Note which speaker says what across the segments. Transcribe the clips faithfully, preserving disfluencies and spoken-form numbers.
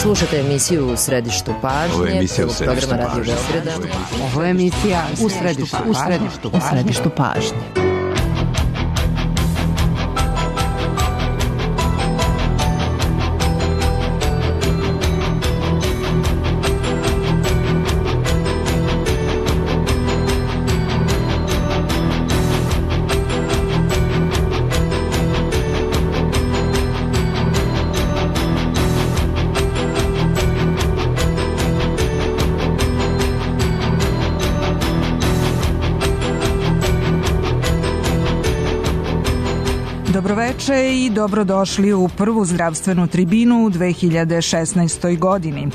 Speaker 1: Slušate emisiju U središtu pažnje.
Speaker 2: Ovo je emisija U središtu pažnje.
Speaker 1: Ovo je emisija U središtu pažnje. U središtu pažnje.
Speaker 3: Dobroveče i dobrodošli u prvu zdravstvenu tribinu u dve hiljade šesnaestoj. godini.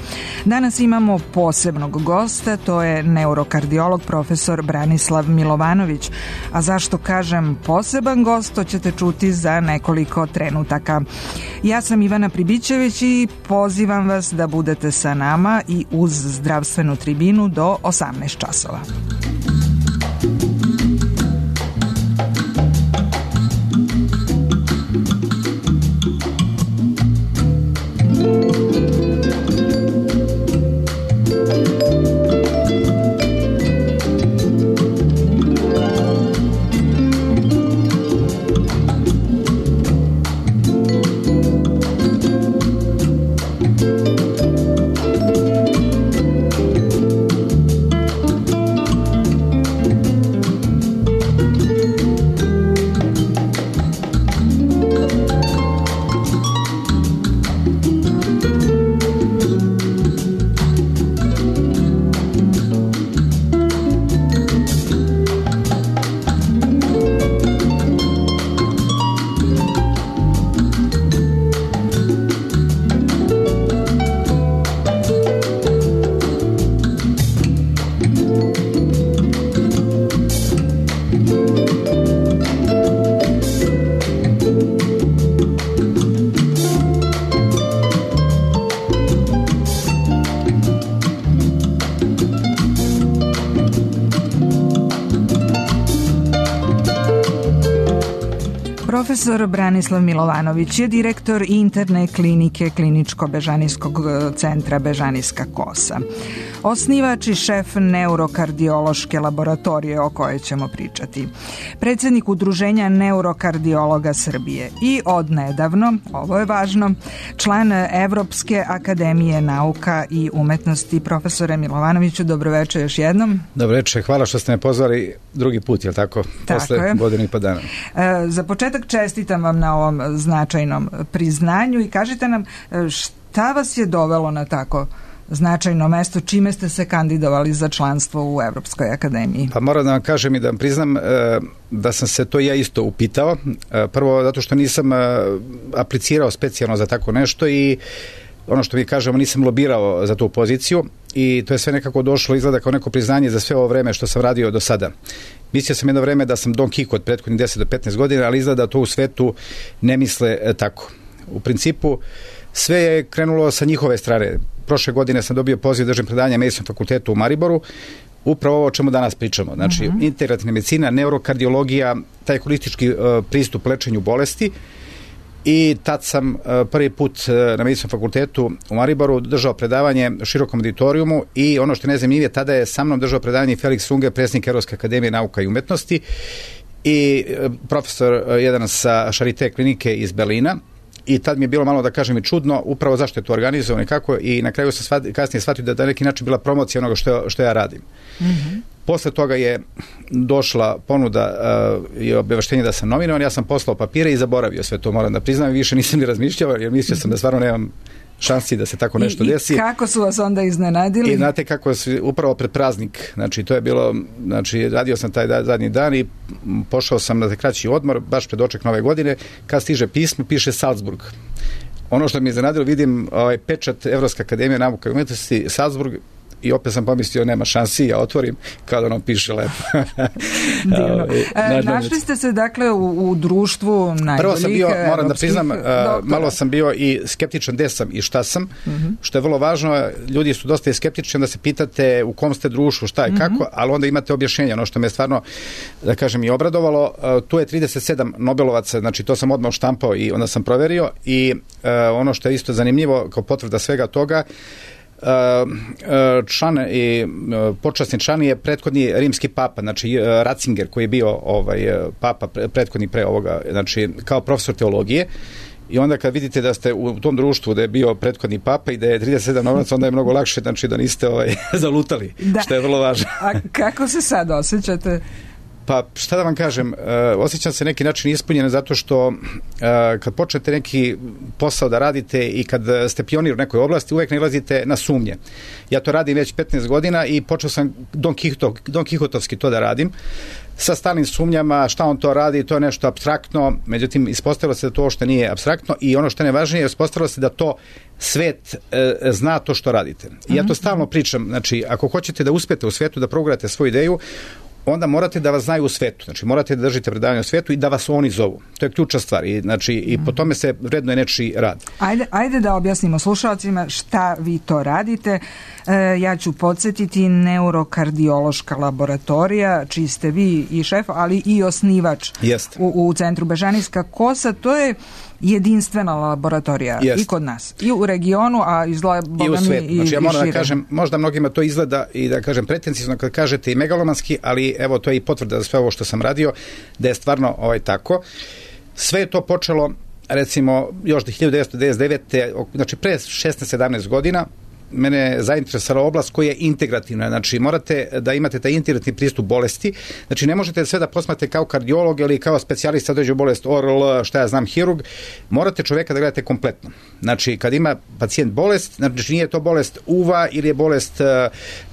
Speaker 3: Danas imamo posebnog gosta, to je neurokardiolog profesor Branislav Milovanović. A zašto kažem poseban gost, to ćete čuti za nekoliko trenutaka. Ja sam Ivana Pribićević i pozivam vas da budete sa nama i uz zdravstvenu tribinu do osamnaest časova. Profesor Branislav Milovanović je direktor interne klinike Kliničko-bežanijskog centra Bežanijska kosa. Osnivač i šef neurokardiološke laboratorije o kojoj ćemo pričati. Predsjednik Udruženja neurokardiologa Srbije i odnedavno, ovo je važno, član Evropske akademije nauka i umetnosti. Profesore Milovanoviću, dobroveče još jednom.
Speaker 4: Dobroveče, hvala što ste me pozvali drugi put, je li tako?
Speaker 3: Tako
Speaker 4: Posle
Speaker 3: je.
Speaker 4: Godine i pa dana.
Speaker 3: E, za početak čestitam vam na ovom značajnom priznanju i kažite nam šta vas je dovelo na tako značajno mesto, čime ste se kandidovali za članstvo u Evropskoj akademiji?
Speaker 4: Pa moram da vam kažem i da vam priznam e, da sam se to ja isto upitao. E, prvo zato što nisam e, aplicirao specijalno za tako nešto i ono što mi kažemo, nisam lobirao za tu poziciju i to je sve nekako došlo, izgleda kao neko priznanje za sve ovo vreme što sam radio do sada. Mislio sam jedno vreme da sam Don Kihot prethodnih deset do petnaest godina, ali izgleda da to u svetu ne misle e, tako. U principu sve je krenulo sa njihove strane. Prošle godine sam dobio poziv da držim predavanje na Medicinskom fakultetu u Mariboru, upravo ovo o čemu danas pričamo. Znači, uh-huh. integrativna medicina, neurokardiologija, taj holistički uh, pristup lečenju bolesti. I tad sam uh, prvi put uh, na Medicinskom fakultetu u Mariboru držao predavanje širokom auditorijumu i ono što ne znam nije, tada je sa mnom držao predavanje Felix Unger, predsjednik Evropske akademije nauka i umetnosti i uh, profesor uh, jedan sa Charité klinike iz Berlina. I tad mi je bilo malo, da kažem, i čudno upravo zašto je to organizovano i kako, i na kraju sam shvatio, kasnije shvatio da na neki način bila promocija onoga što, što ja radim. Mm-hmm. Posle toga je došla ponuda uh, i obaveštenje da sam nominovan, ja sam poslao papire i zaboravio sve to, moram da priznam, i više nisam ni razmišljao, jer mislio sam da stvarno nemam šansi da se tako nešto
Speaker 3: I,
Speaker 4: desi.
Speaker 3: I kako su vas onda iznenadili?
Speaker 4: I znate kako su, upravo pred praznik, znači to je bilo, znači radio sam taj da, zadnji dan i pošao sam na kraći odmor, baš pred oček nove godine, kad stiže pismo, piše Salzburg. Ono što mi je iznenadilo, vidim ovaj pečat Evropske akademije nauka i umetnosti Salzburg i opet sam pomislio nema šansi, ja otvorim kada ono piše lepo.
Speaker 3: Divno. E, našli ste se dakle u, u društvu najboljih.
Speaker 4: Prvo sam bio, moram da priznam, doktora. Malo sam bio i skeptičan gde sam i šta sam, mm-hmm. što je vrlo važno, ljudi su dosta skeptični da se pitate u kom ste društvu, šta i mm-hmm. kako, ali onda imate objašnjenje, ono što me stvarno, da kažem, i obradovalo. Tu je trideset sedam Nobelovaca, znači to sam odmah štampao i onda sam proverio i uh, ono što je isto zanimljivo kao potvrda svega toga, uh, član i uh, počasni član je prethodni rimski papa, znači uh, Ratzinger koji je bio ovaj, papa prethodni pre ovoga, znači kao profesor teologije. I onda kad vidite da ste u tom društvu da je bio prethodni papa i da je trideset sedam Nobelovaca, onda je mnogo lakše, znači da niste ovaj, zalutali, da. Što je vrlo važno.
Speaker 3: A kako se sad osjećate?
Speaker 4: Pa šta da vam kažem, uh, osjećam se neki način ispunjen zato što uh, kad počnete neki posao da radite i kad ste pionir u nekoj oblasti, uvek nailazite na sumnje. Ja to radim već petnaest godina i počeo sam Don, Kihotov, Don Kihotovski to da radim, sa stalnim sumnjama, šta on to radi, to je nešto apstraktno, međutim ispostavilo se da to što nije apstraktno i ono što je najvažnije, ispostavilo se da to svet e, zna to što radite. I ja to stalno pričam, znači ako hoćete da uspete u svetu, da progurate svoju ideju, onda morate da vas znaju u svetu. Znači, morate da držite predavanje u svetu i da vas oni zovu. To je ključna stvar. I, znači, i po tome se vrednuje nečiji rad.
Speaker 3: Ajde, ajde da objasnimo slušalcima šta vi to radite. E, ja ću podsjetiti neurokardiološka laboratorija, čiji ste vi i šef, ali i osnivač u, u centru Bežanijska kosa. To je jedinstvena laboratorija Jest. I kod nas. I u regionu, a izgleda
Speaker 4: i u svetu. I, znači, ja moram da kažem, možda mnogima to izgleda i da kažem pretencijno kad kažete i megalomanski, ali evo to je i potvrda za sve ovo što sam radio, da je stvarno ovaj tako. Sve je to počelo, recimo, još hiljadu devetsto devedeset devete. Znači pre šesnaest sedamnaest godina, mene je zainteresovala oblast koja je integrativna, znači morate da imate taj integrativni pristup bolesti, znači ne možete sve da posmatrate kao kardiolog ili kao specijalista određenu bolest, O R L, šta ja znam, hirurg, morate čoveka da gledate kompletno. Znači kad ima pacijent bolest, znači nije to bolest uva ili je bolest uh,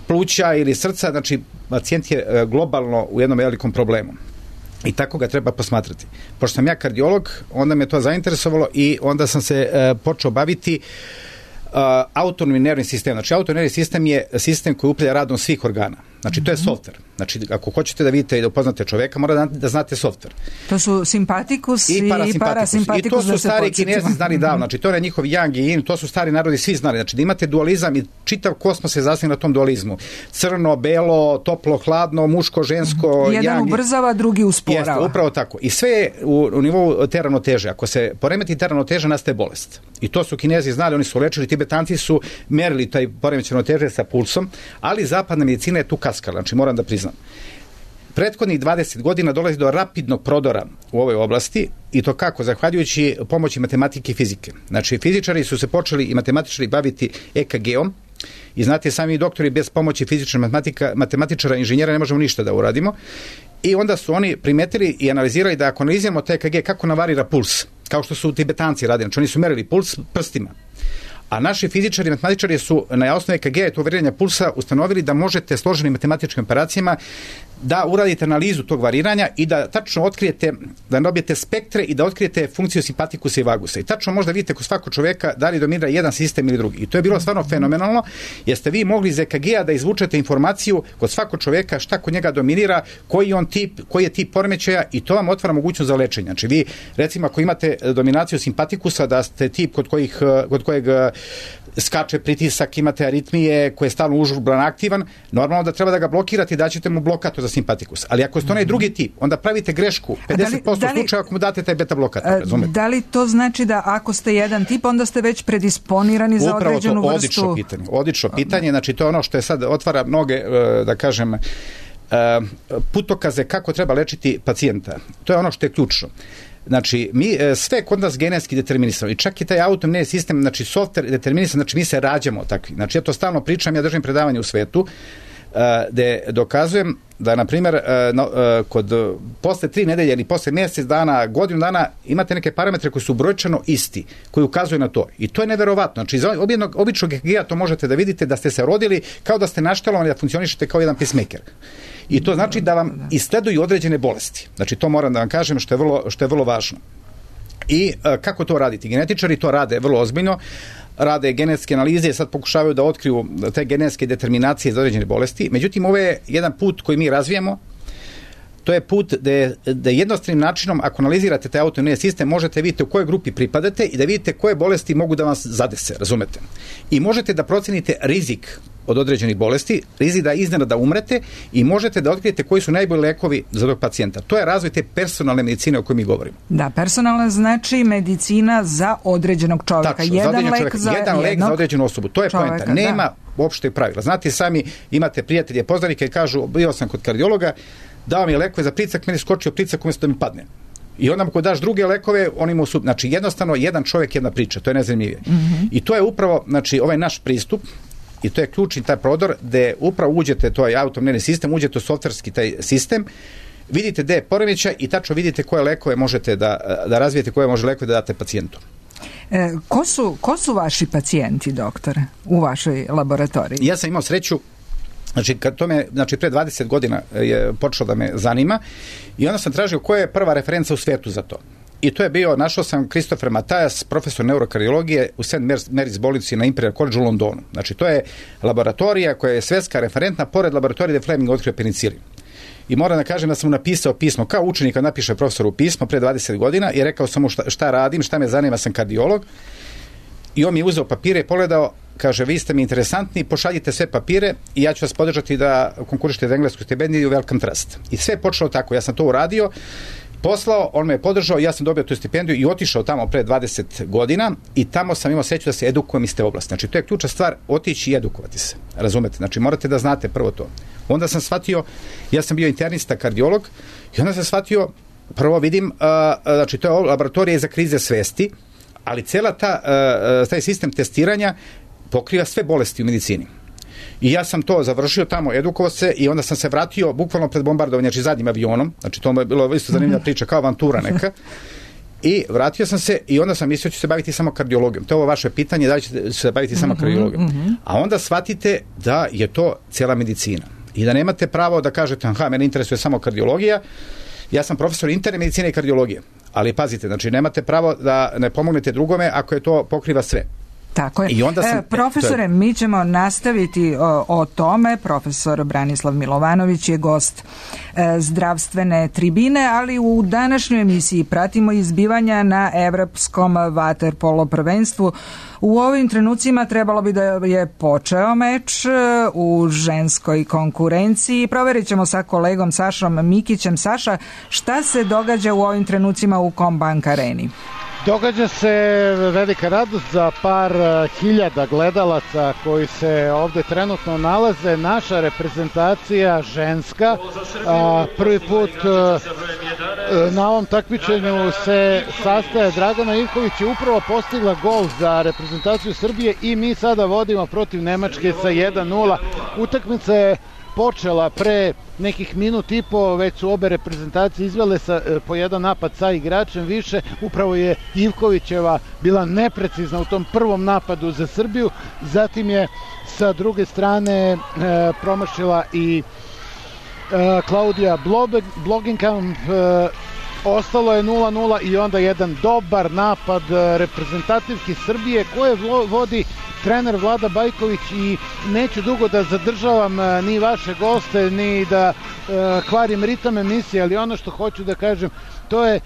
Speaker 4: pluća ili srca, znači pacijent je uh, globalno u jednom velikom problemu. I tako ga treba posmatrati. Pošto sam ja kardiolog, onda me to zainteresovalo i onda sam se uh, počeo baviti Uh, autonomni nervni sistem. Znači, autonomni nervni sistem je sistem koji upravlja radom svih organa. Znači, to je softver. Znači, ako hoćete da vidite i da upoznate čoveka, mora da, da znate softver.
Speaker 3: To su simpatikus i, i parasimpatikus.
Speaker 4: I to su stari Kinezi znali davno. Znači, to je njihov yang i yin, to su stari narodi svi znali. Znači, da imate dualizam i čitav kosmos se zasniva na tom dualizmu. Crno, belo, toplo, hladno, muško, žensko,
Speaker 3: jedan yang, ubrzava, drugi usporava.
Speaker 4: Jeste, upravo tako. I sve je u, u nivou te ravnoteže. Ako se poremeti ta ravnoteža, nastaje bolest. I to su Kinezi znali, oni su lečili, Tibetanci su merili taj poremećaj ravnoteže sa pulsom, ali zapadna medicina je tu kaskala, znači moram da priznam. Prethodnih dvadeset godina dolazi do rapidnog prodora u ovoj oblasti i to kako? Zahvaljujući pomoći matematike i fizike. Znači fizičari su se počeli i matematičari baviti E K G-om i znate sami doktori bez pomoći fizičara, matematika, matematičara, inženjera ne možemo ništa da uradimo. I onda su oni primetili i analizirali da ako analiziramo te E K G kako navarira puls, kao što su Tibetanci radili, znači oni su merili puls prstima. A naši fizičari i matematičari su na osnovu E K G, to variranja pulsa, ustanovili da možete složenim matematičkim operacijama da uradite analizu tog variranja i da tačno otkrijete, da dobijete spektre i da otkrijete funkciju simpatikusa i vagusa. I tačno možda vidite kod svakog čoveka da li dominira jedan sistem ili drugi. I to je bilo stvarno fenomenalno, jer ste vi mogli iz E K G-a da izvučete informaciju kod svakog čoveka šta kod njega dominira, koji on tip, koji je tip poremećaja i to vam otvara mogućnost za lečenje. Znači vi, recimo, ako imate dominaciju simpatikusa, da ste tip kod kojih, kod kojeg skače pritisak, imate aritmije koje je stalno užurban aktivan, normalno da treba da ga blokirate i daćete mu blokator za simpatikus. Ali ako ste onaj drugi tip, onda pravite grešku pedeset posto slučaja ako mu date taj beta blokator, razumete?
Speaker 3: Da li to znači da ako ste jedan tip, onda ste već predisponirani za
Speaker 4: Upravo
Speaker 3: određenu
Speaker 4: to,
Speaker 3: vrstu?
Speaker 4: Odlično pitanje. Odlično pitanje, znači to je ono što je sad otvara mnoge, da kažem, putokaze kako treba lečiti pacijenta. To je ono što je ključno. Znači, mi sve kod nas genetski determinisano i čak i taj autonomni sistem, znači software determinisan, znači mi se rađamo takvi. Znači, ja to stalno pričam, ja držim predavanje u svetu, gde dokazujem da, na primjer, kod posle tri nedelje ili posle mjesec dana, godinu dana, imate neke parametre koji su brojčano isti, koji ukazuju na to. I to je neverovatno. Znači, iz običnog, običnog E K G-a to možete da vidite da ste se rodili kao da ste naštelovani da funkcionišete kao jedan pacemaker. I to znači da vam isleduju određene bolesti. Znači, to moram da vam kažem što je vrlo, što je vrlo važno. I kako to raditi? Genetičari to rade vrlo ozbiljno, rade genetske analize i sad pokušavaju da otkriju te genetske determinacije za određene bolesti. Međutim, ovo je jedan put koji mi razvijamo. To je put da, da jednostavnim načinom, ako analizirate taj autoimunni sistem, možete vidjeti u kojoj grupi pripadate i da vidite koje bolesti mogu da vas zadese, razumete? I možete da procenite rizik od određenih bolesti, rizik da iznenada umrete i možete da otkrijete koji su najbolji lekovi za tog pacijenta. To je razvoj te personalne medicine o kojoj mi govorimo.
Speaker 3: Da, personalna znači medicina za određenog čovjeka.
Speaker 4: Tačno,
Speaker 3: jedan
Speaker 4: za
Speaker 3: lek
Speaker 4: čovjeka,
Speaker 3: za
Speaker 4: jedan lek za određenu osobu. To je
Speaker 3: čovjeka,
Speaker 4: poenta. Nema
Speaker 3: da.
Speaker 4: uopšte pravila. Znate, sami imate prijatelje, poznanike i kažu, bio sam kod kardiologa, dao mi lekove za pricak, meni skočio pricak umjesto da mi padne. I onda mu ko daš druge lekove, oni mu su, znači jednostavno jedan čovjek, jedna priča, to je najzanimljivije. Mm-hmm. I to je upravo, znači ovaj naš pristup, i to je ključni taj prodor, gde upravo uđete, to je autoimunni sistem, uđete u softverski taj sistem, vidite gde je poremećaj i tačno vidite koje lekove možete da, da razvijete, koje može lekove da date pacijentu.
Speaker 3: E, ko su, ko su vaši pacijenti, doktore, u vašoj laboratoriji?
Speaker 4: Ja sam imao sreću, znači, kad to me, znači, pre dvadeset godina je počelo da me zanima i onda sam tražio koja je prva referenca u svetu za to. I to je bio, našao sam Christopher Matajas, profesor neurokardiologije u Saint Mary's bolnici na Imperial College u Londonu. Znači, to je laboratorija koja je svetska referentna, pored laboratorije gde Fleming otkrio penicilin. I moram da kažem da sam mu napisao pismo, kao učenik kad napiše profesoru pismo pre dvadeset godina i rekao sam mu šta, šta radim, šta me zanima, sam kardiolog. I on mi je uzeo papire i pogledao, kaže, vi ste mi interesantni, pošaljite sve papire i ja ću vas podržati da konkurišete za englesku stipendiju Wellcome Trust. I sve je počelo tako, ja sam to uradio, poslao, on me je podržao, ja sam dobio tu stipendiju i otišao tamo pre dvadeset godina i tamo sam imao sreću da se edukujem iz te oblasti. Znači, to je ključna stvar, otići i edukovati se. Razumete? Znači, morate da znate prvo to. Onda sam shvatio, ja sam bio internista, kardiolog i onda sam shvatio, prvo vidim, uh, znači, to je laboratorija za krize svesti, ali cela ta, uh, taj sistem testiranja pokriva sve bolesti u medicini. I ja sam to završio tamo, edukovao se i onda sam se vratio bukvalno pred bombardovanje, znači zadnjim avionom, znači to je bilo isto zanimljiva priča, kao avantura neka. I vratio sam se i onda sam mislio da ću se baviti samo kardiologijom. To je ovo vaše pitanje, da li ćete se baviti samo kardiologijom. A onda shvatite da je to cijela medicina. I da nemate pravo da kažete, aha, mene interesuje samo kardiologija, ja sam profesor interne medicine i kardiologije. Ali pazite, znači nemate pravo da ne pomognete drugome ako je to pokriva sve.
Speaker 3: Tako je.
Speaker 4: I onda sam,
Speaker 3: e, profesore, je... mi ćemo nastaviti o, o tome. Profesor Branislav Milovanović je gost e, zdravstvene tribine, ali u današnjoj emisiji pratimo izbivanja na Evropskom vaterpolo prvenstvu. U ovim trenucima trebalo bi da je počeo meč u ženskoj konkurenciji. Proverit ćemo sa kolegom Sašom Mikićem. Saša, šta se događa u ovim trenucima u Combank areni?
Speaker 2: Događa se velika radost za par hiljada gledalaca koji se ovde trenutno nalaze. Naša reprezentacija ženska a, prvi put a, na ovom takmičenju se sastaje. Dragana Ivković je upravo postigla gol za reprezentaciju Srbije i mi sada vodimo protiv Nemačke sa jedan nula. Utakmica je počela pre nekih minut i po, već su obe reprezentacije izvele sa, po jedan napad sa igračem više. Upravo je Ivkovićeva bila neprecizna u tom prvom napadu za Srbiju, zatim je sa druge strane e, promašila i e, Klaudija Blogenkamp. E, ostalo je nula nula i onda jedan dobar napad reprezentativki Srbije koje vodi trener Vlada Bajković i neću dugo da zadržavam ni vaše goste, ni da e, kvarim ritam emisije, ali ono što hoću da kažem, to je e,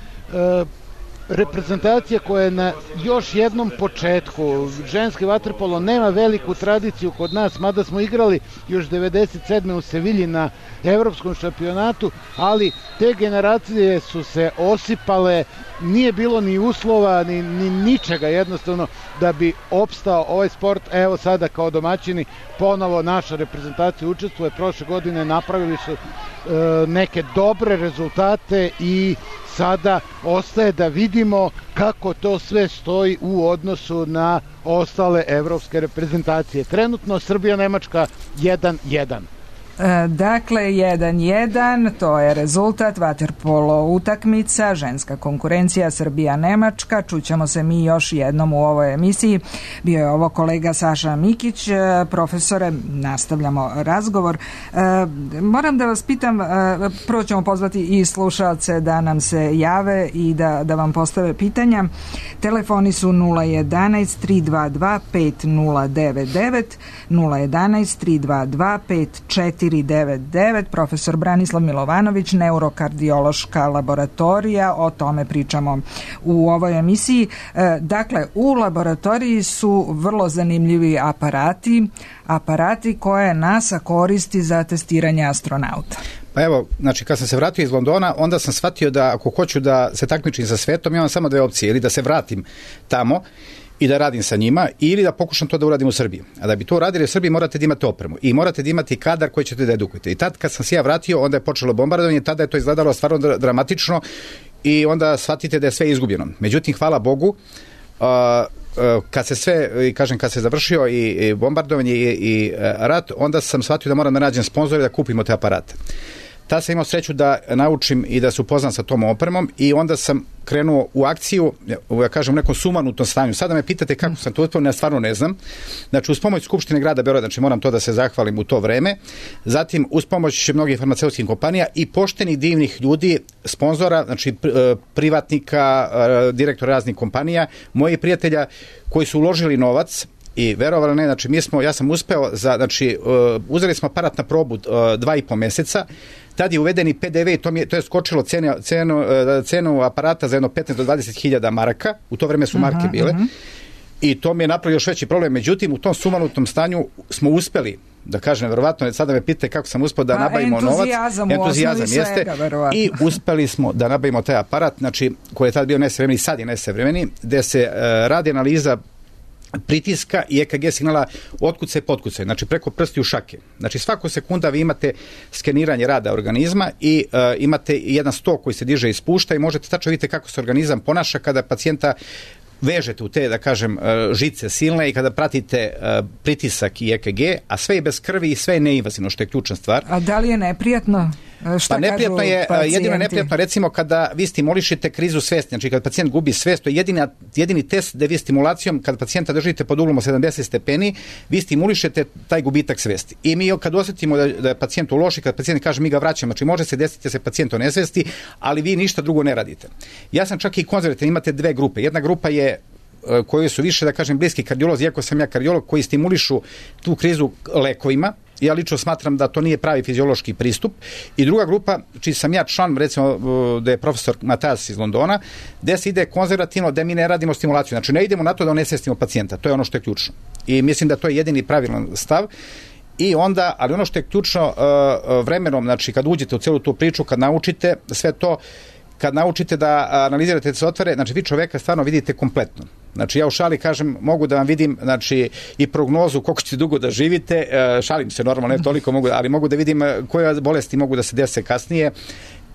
Speaker 2: reprezentacija koja je na još jednom početku. Ženski vaterpolo nema veliku tradiciju kod nas, mada smo igrali još devedeset sedme u Sevilji na evropskom šampionatu, ali te generacije su se osipale, nije bilo ni uslova, ni, ni ničega jednostavno da bi opstao ovaj sport. Evo sada kao domaćini ponovo naša reprezentacija učestvuje, prošle godine napravili su e, neke dobre rezultate i sada ostaje da vidimo kako to sve stoji u odnosu na ostale evropske reprezentacije. Trenutno Srbija-Nemačka jedan jedan.
Speaker 3: Dakle, jedan jedan, to je rezultat vaterpolo utakmica, ženska konkurencija Srbija-Nemačka. Čućemo se mi još jednom u ovoj emisiji. Bio je ovo kolega Saša Mikić. Profesore, nastavljamo razgovor. Moram da vas pitam, prvo ćemo pozvati i slušalce da nam se jave i da, da vam postave pitanja. Telefoni su nula jedanaest tri dva dva pet nula devet devet, nula jedanaest tri dva dva pet četiri devet devet. Profesor Branislav Milovanović, neurokardiološka laboratorija, o tome pričamo u ovoj emisiji. Dakle, u laboratoriji su vrlo zanimljivi aparati, aparati koje NASA koristi za testiranje astronauta.
Speaker 4: Pa evo, znači kad sam se vratio iz Londona, onda sam shvatio da ako hoću da se takmičim sa svetom, imam samo dve opcije, ili da se vratim tamo i da radim sa njima, ili da pokušam to da uradim u Srbiji. A da bi to uradili u Srbiji morate da imate opremu i morate da imati kadar koji ćete da edukujete. I tad kad sam se ja vratio, onda je počelo bombardovanje, tada je to izgledalo stvarno dramatično i onda shvatite da je sve izgubljeno. Međutim, hvala Bogu, uh, uh, kad se sve, kažem, kad se završio i, i bombardovanje i, i uh, rat, onda sam shvatio da moram da nađem sponzore da kupimo te aparate. Tad sam imao sreću da naučim i da se upoznam sa tom opremom i onda sam krenuo u akciju, ja kažem, u nekom sumanutom stanju. Sada me pitate kako sam to uspeo, ja stvarno ne znam. Znači, uz pomoć Skupštine grada Beograda, znači moram to da se zahvalim u to vreme. Zatim, uz pomoć mnogih farmaceutskih kompanija i poštenih divnih ljudi, sponzora, znači privatnika, direktora raznih kompanija, mojih prijatelja koji su uložili novac. I verovali ne, znači mi smo, ja sam uspeo za, znači uh, uzeli smo aparat na probu uh, dva i po meseca, tad je uvedeni P D V i to, mi je, to je skočilo cenu, cenu, uh, cenu aparata za jedno petnaest do dvadeset hiljada maraka, u to vreme su marke uh-huh, bile, uh-huh. I to mi je napravio još veći problem, međutim u tom sumanutom stanju smo uspeli, da kažem, verovatno, sada me pite kako sam uspeo da pa, nabavimo novac, entuzijazam jeste, svega, i uspeli smo da nabavimo taj aparat, znači koji je tad bio nesavremeni, sad je nesavremeni, gde se uh, radi analiza pritiska i E K G signala otkucaj i potkucaj, znači preko prstiju šake. Znači svaku sekunda vi imate skeniranje rada organizma i uh, imate jedan stok koji se diže i spušta i možete tačno vidjeti kako se organizam ponaša kada pacijenta vežete u te, da kažem, žice silne i kada pratite uh, pritisak i E K G, a sve je bez krvi i sve je neinvazivno, što je ključna stvar.
Speaker 3: A da li je neprijatno? Šta
Speaker 4: pa neprijatno je, pacijenti? Jedino je neprijatno recimo kada vi stimulišete krizu svesti, znači kad pacijent gubi svest, to je jedini, jedini test da vi stimulacijom, kad pacijenta držite pod uglom sedamdeset stepeni, vi stimulišete taj gubitak svesti. I mi kad osjetimo da, da je pacijent u loši, kad pacijent kaže mi ga vraćamo, znači može se desiti da se pacijent o nesvesti, ali vi ništa drugo ne radite. Ja sam čak i konzervativan, imate dve grupe. Jedna grupa je koji su više, da kažem, bliski kardiolozi, iako sam ja kardiolog, koji stimulišu tu krizu lekovima. Ja lično smatram da to nije pravi fiziološki pristup. I druga grupa, čiji sam ja član, recimo da je profesor Matas iz Londona, gde se ide konzervativno, da mi ne radimo stimulaciju. Znači ne idemo na to da onesvestimo pacijenta. To je ono što je ključno. I mislim da to je jedini pravilan stav. I onda, ali ono što je ključno vremenom, znači kad uđete u celu tu priču, kad naučite sve to, kad naučite da analizirate da se otvore, znači vi čoveka stvarno vidite kompletno. Znači ja u šali kažem, mogu da vam vidim, znači i prognozu koliko ćete dugo da živite, šalim se normalno, ne toliko mogu, ali mogu da vidim koje bolesti mogu da se dese kasnije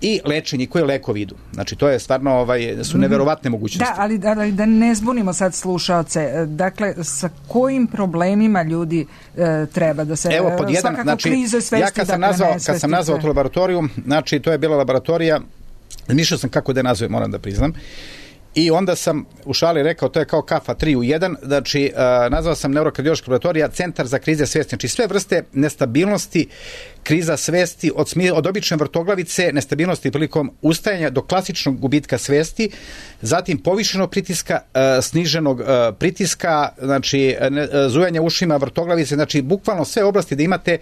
Speaker 4: i lečenje, koje lekovi idu. Znači to je stvarno, ovaj, su neverovatne mogućnosti.
Speaker 3: Da, ali da, da ne zbunimo sad slušaoce, dakle sa kojim problemima ljudi e, treba da se,
Speaker 4: evo, pod jedan,
Speaker 3: svakako
Speaker 4: znači,
Speaker 3: krize svesti,
Speaker 4: ja kad sam,
Speaker 3: dakle,
Speaker 4: nazvao, kad sam nazvao tu laboratoriju, znači to je bila laboratorija, mišljao sam kako da je nazove, moram da priznam. I onda sam u šali rekao, to je kao kafa tri u jedan, znači uh, nazvao sam neurokardiološka laboratorija Centar za krize svesti, znači sve vrste nestabilnosti, kriza svesti, od, smi, od obične vrtoglavice, nestabilnosti prilikom ustajanja do klasičnog gubitka svesti, zatim povišenog pritiska, uh, sniženog uh, pritiska, znači ne, uh, zujanja ušima, vrtoglavice, znači bukvalno sve oblasti da imate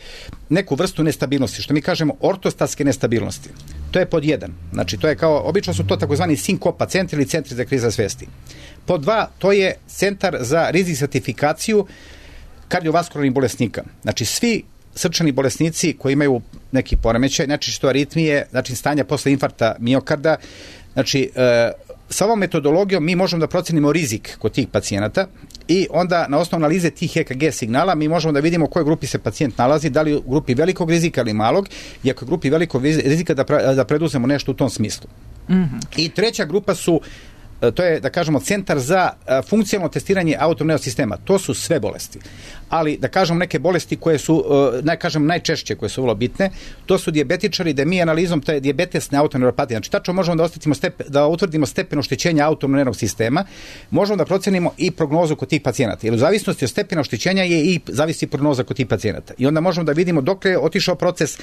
Speaker 4: neku vrstu nestabilnosti, što mi kažemo ortostatske nestabilnosti. To je pod jedan. Znači, to je kao, obično su to takozvani sinkopa centri ili centri za kriza svesti. Pod dva, to je centar za rizik stratifikaciju kardiovaskularnih bolesnika. Znači, svi srčani bolesnici koji imaju neki poremećaj, znači što aritmije, znači stanja posle infarkta miokarda, znači, e, sa ovom metodologijom mi možemo da procenimo rizik kod tih pacijenata i onda na osnovu analize tih E K G signala mi možemo da vidimo u kojoj grupi se pacijent nalazi, da li u grupi velikog rizika ili malog, i ako je u grupi velikog rizika da, pra, da preduzemo nešto u tom smislu. Mm-hmm. I treća grupa su to je, da kažemo, centar za funkcionalno testiranje autonomnog sistema. To su sve bolesti. Ali, da kažemo, neke bolesti koje su, ne kažem, najčešće, koje su vrlo bitne, to su dijabetičari, da mi analizom te dijabetesne autoneuropatije, znači tačno možemo da, stepen, da utvrdimo stepen oštećenja autonomnog sistema, možemo da procenimo i prognozu kod tih pacijenata. Jer u zavisnosti od stepena oštećenja je i zavisi prognoza kod tih pacijenata. I onda možemo da vidimo dok je otišao proces,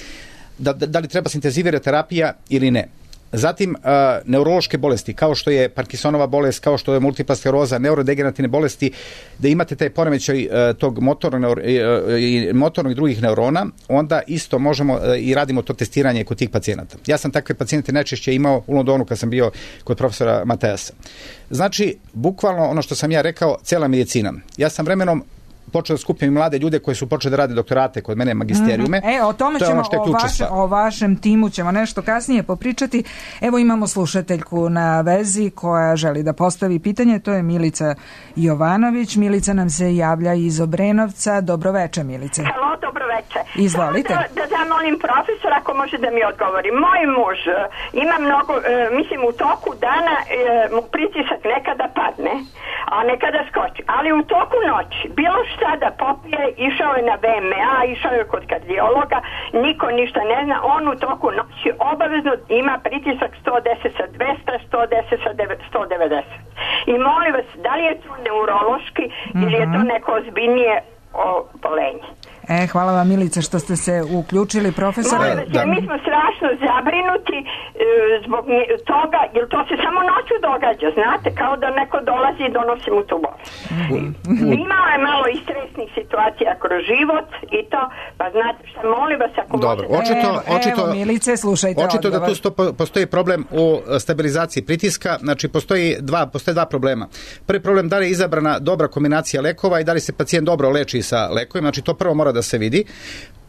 Speaker 4: da, da li treba se intenzivirati terapija ili ne. Zatim, uh, neurološke bolesti, kao što je Parkinsonova bolest, kao što je multipla skleroza, neurodegenerativne bolesti, da imate taj poremećaj uh, tog motornog, uh, i motornog i drugih neurona, onda isto možemo uh, i radimo to testiranje kod tih pacijenata. Ja sam takve pacijente najčešće imao u Londonu kad sam bio kod profesora Matejasa. Znači, bukvalno ono što sam ja rekao, cela medicina. Ja sam vremenom počeo da skupim mlade ljude koji su počeli da rade doktorate kod mene, magisterijume.
Speaker 3: Mm-hmm. E, o tome to ćemo,
Speaker 4: ono
Speaker 3: o, vaše, o vašem timu ćemo nešto kasnije popričati. Evo imamo slušateljku na vezi koja želi da postavi pitanje, to je Milica Jovanović. Milica nam se javlja iz Obrenovca. Dobroveče, Milice.
Speaker 5: Halo, dobroveče.
Speaker 3: Izvolite.
Speaker 5: Da, da zamolim profesora ako može da mi odgovori. Moj muž ima mnogo, mislim u toku dana mu pritisak nekada padne, a nekada skoči, ali u toku noći bilo šta da popije, išao je na V M A, išao je kod kardiologa, niko ništa ne zna, on u toku noći obavezno ima pritisak sto deset sa dvesta, sto deset sa sto devedeset. I molim vas, da li je to neurološki mm-hmm. ili je to neko ozbiljnije obolenje?
Speaker 3: E, hvala vam, Milica, što ste se uključili, profesore.
Speaker 5: Molim vas, mi smo strašno zabrinuti e, zbog toga, jer to se samo noću događa, znate, kao da neko dolazi i donosi mu tu bolest. Mm-hmm. Imao je malo i stresnih situacija kroz život i to, pa znate šta, molim vas, ako
Speaker 4: Dobro,
Speaker 5: možete...
Speaker 4: Očito,
Speaker 3: evo,
Speaker 4: očito,
Speaker 3: evo, Milice, slušajte
Speaker 4: očito
Speaker 3: odgovor.
Speaker 4: da tu sto, postoji problem u stabilizaciji pritiska, znači postoji dva, postoje dva problema. Prvi problem, da li je izabrana dobra kombinacija lekova i da li se pacijent dobro leči sa lekovima, znači to prvo mora da se vidi.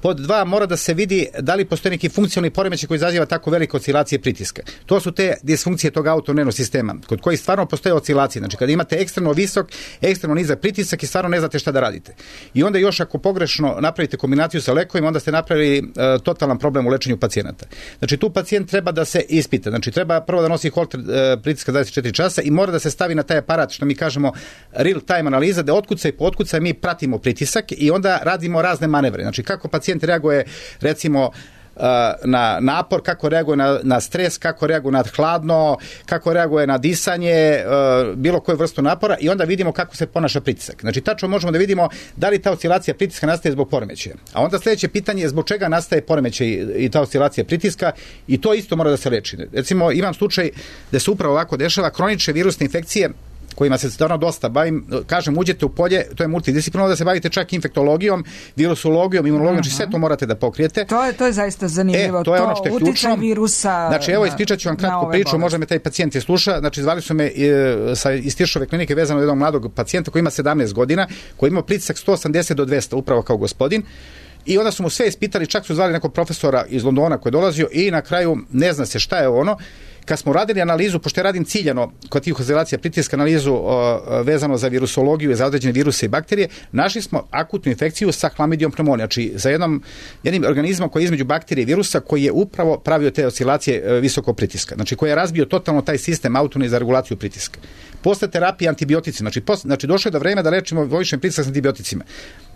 Speaker 4: Pod dva, mora da se vidi da li postoji neki funkcionalni poremećaj koji izaziva tako velike oscilacije pritiska. To su te disfunkcije tog autonomnog sistema, kod kojih stvarno postoje oscilacije. Znači, kada imate ekstremno visok, ekstremno nizak pritisak i stvarno ne znate šta da radite. I onda još ako pogrešno napravite kombinaciju sa lekovima, onda ste napravili uh, totalan problem u lečenju pacijenata. Znači, tu pacijent treba da se ispita. Znači, treba prvo da nosi holter uh, pritiska dvadeset četiri časa i mora da se stavi na taj aparat, što mi kažemo real time analiza, da otkuca i po otkuca mi pratimo pritisak i onda radimo razne manevre. Znači, kako pacijent reaguje, recimo, na napor, kako reaguje na, na stres, kako reaguje na hladno, kako reaguje na disanje, bilo koju vrstu napora i onda vidimo kako se ponaša pritisak. Znači, tačno možemo da vidimo da li ta oscilacija pritiska nastaje zbog poremećaja. A onda sljedeće pitanje je zbog čega nastaje poremećaj i ta oscilacija pritiska i to isto mora da se leči. Recimo, imam slučaj da se upravo ovako dešava kronične virusne infekcije kojima se stvarno dosta bavim, kažem, uđete u polje, to je multidisciplinarno, da se bavite čak infektologijom, virusologijom, imunologijom, znači sve to morate da pokrijete.
Speaker 3: To je, to je zaista zanimljivo,
Speaker 4: e, to je ono što je ključno.
Speaker 3: Virusa.
Speaker 4: Znači, evo, ispričat ću vam kratku priču, bolesti. Možda me taj pacijent je sluša, znači, zvali su me e, sa, iz Tiršove klinike vezano od jednog mladog pacijenta koji ima sedamnaest godina, koji ima pritisak sto osamdeset do dvesta, upravo kao gospodin. I onda su mu sve ispitali, čak su zvali nekog profesora iz Londona koji je dolazio i na kraju ne zna se šta je ono. Kad smo radili analizu, pošto ja radim ciljano kod tih oscilacija pritiska, analizu o, vezano za virusologiju i za određene viruse i bakterije, našli smo akutnu infekciju sa Chlamydium pneumoniae, znači za jednom, jednim organizmom koji je između bakterije i virusa koji je upravo pravio te oscilacije visokog pritiska, znači koji je razbio totalno taj sistem autonomni za regulaciju pritiska. Posle terapije antibiotici, znači, posle, znači došlo je do vremena da lečimo povišen pritisak s antibioticima.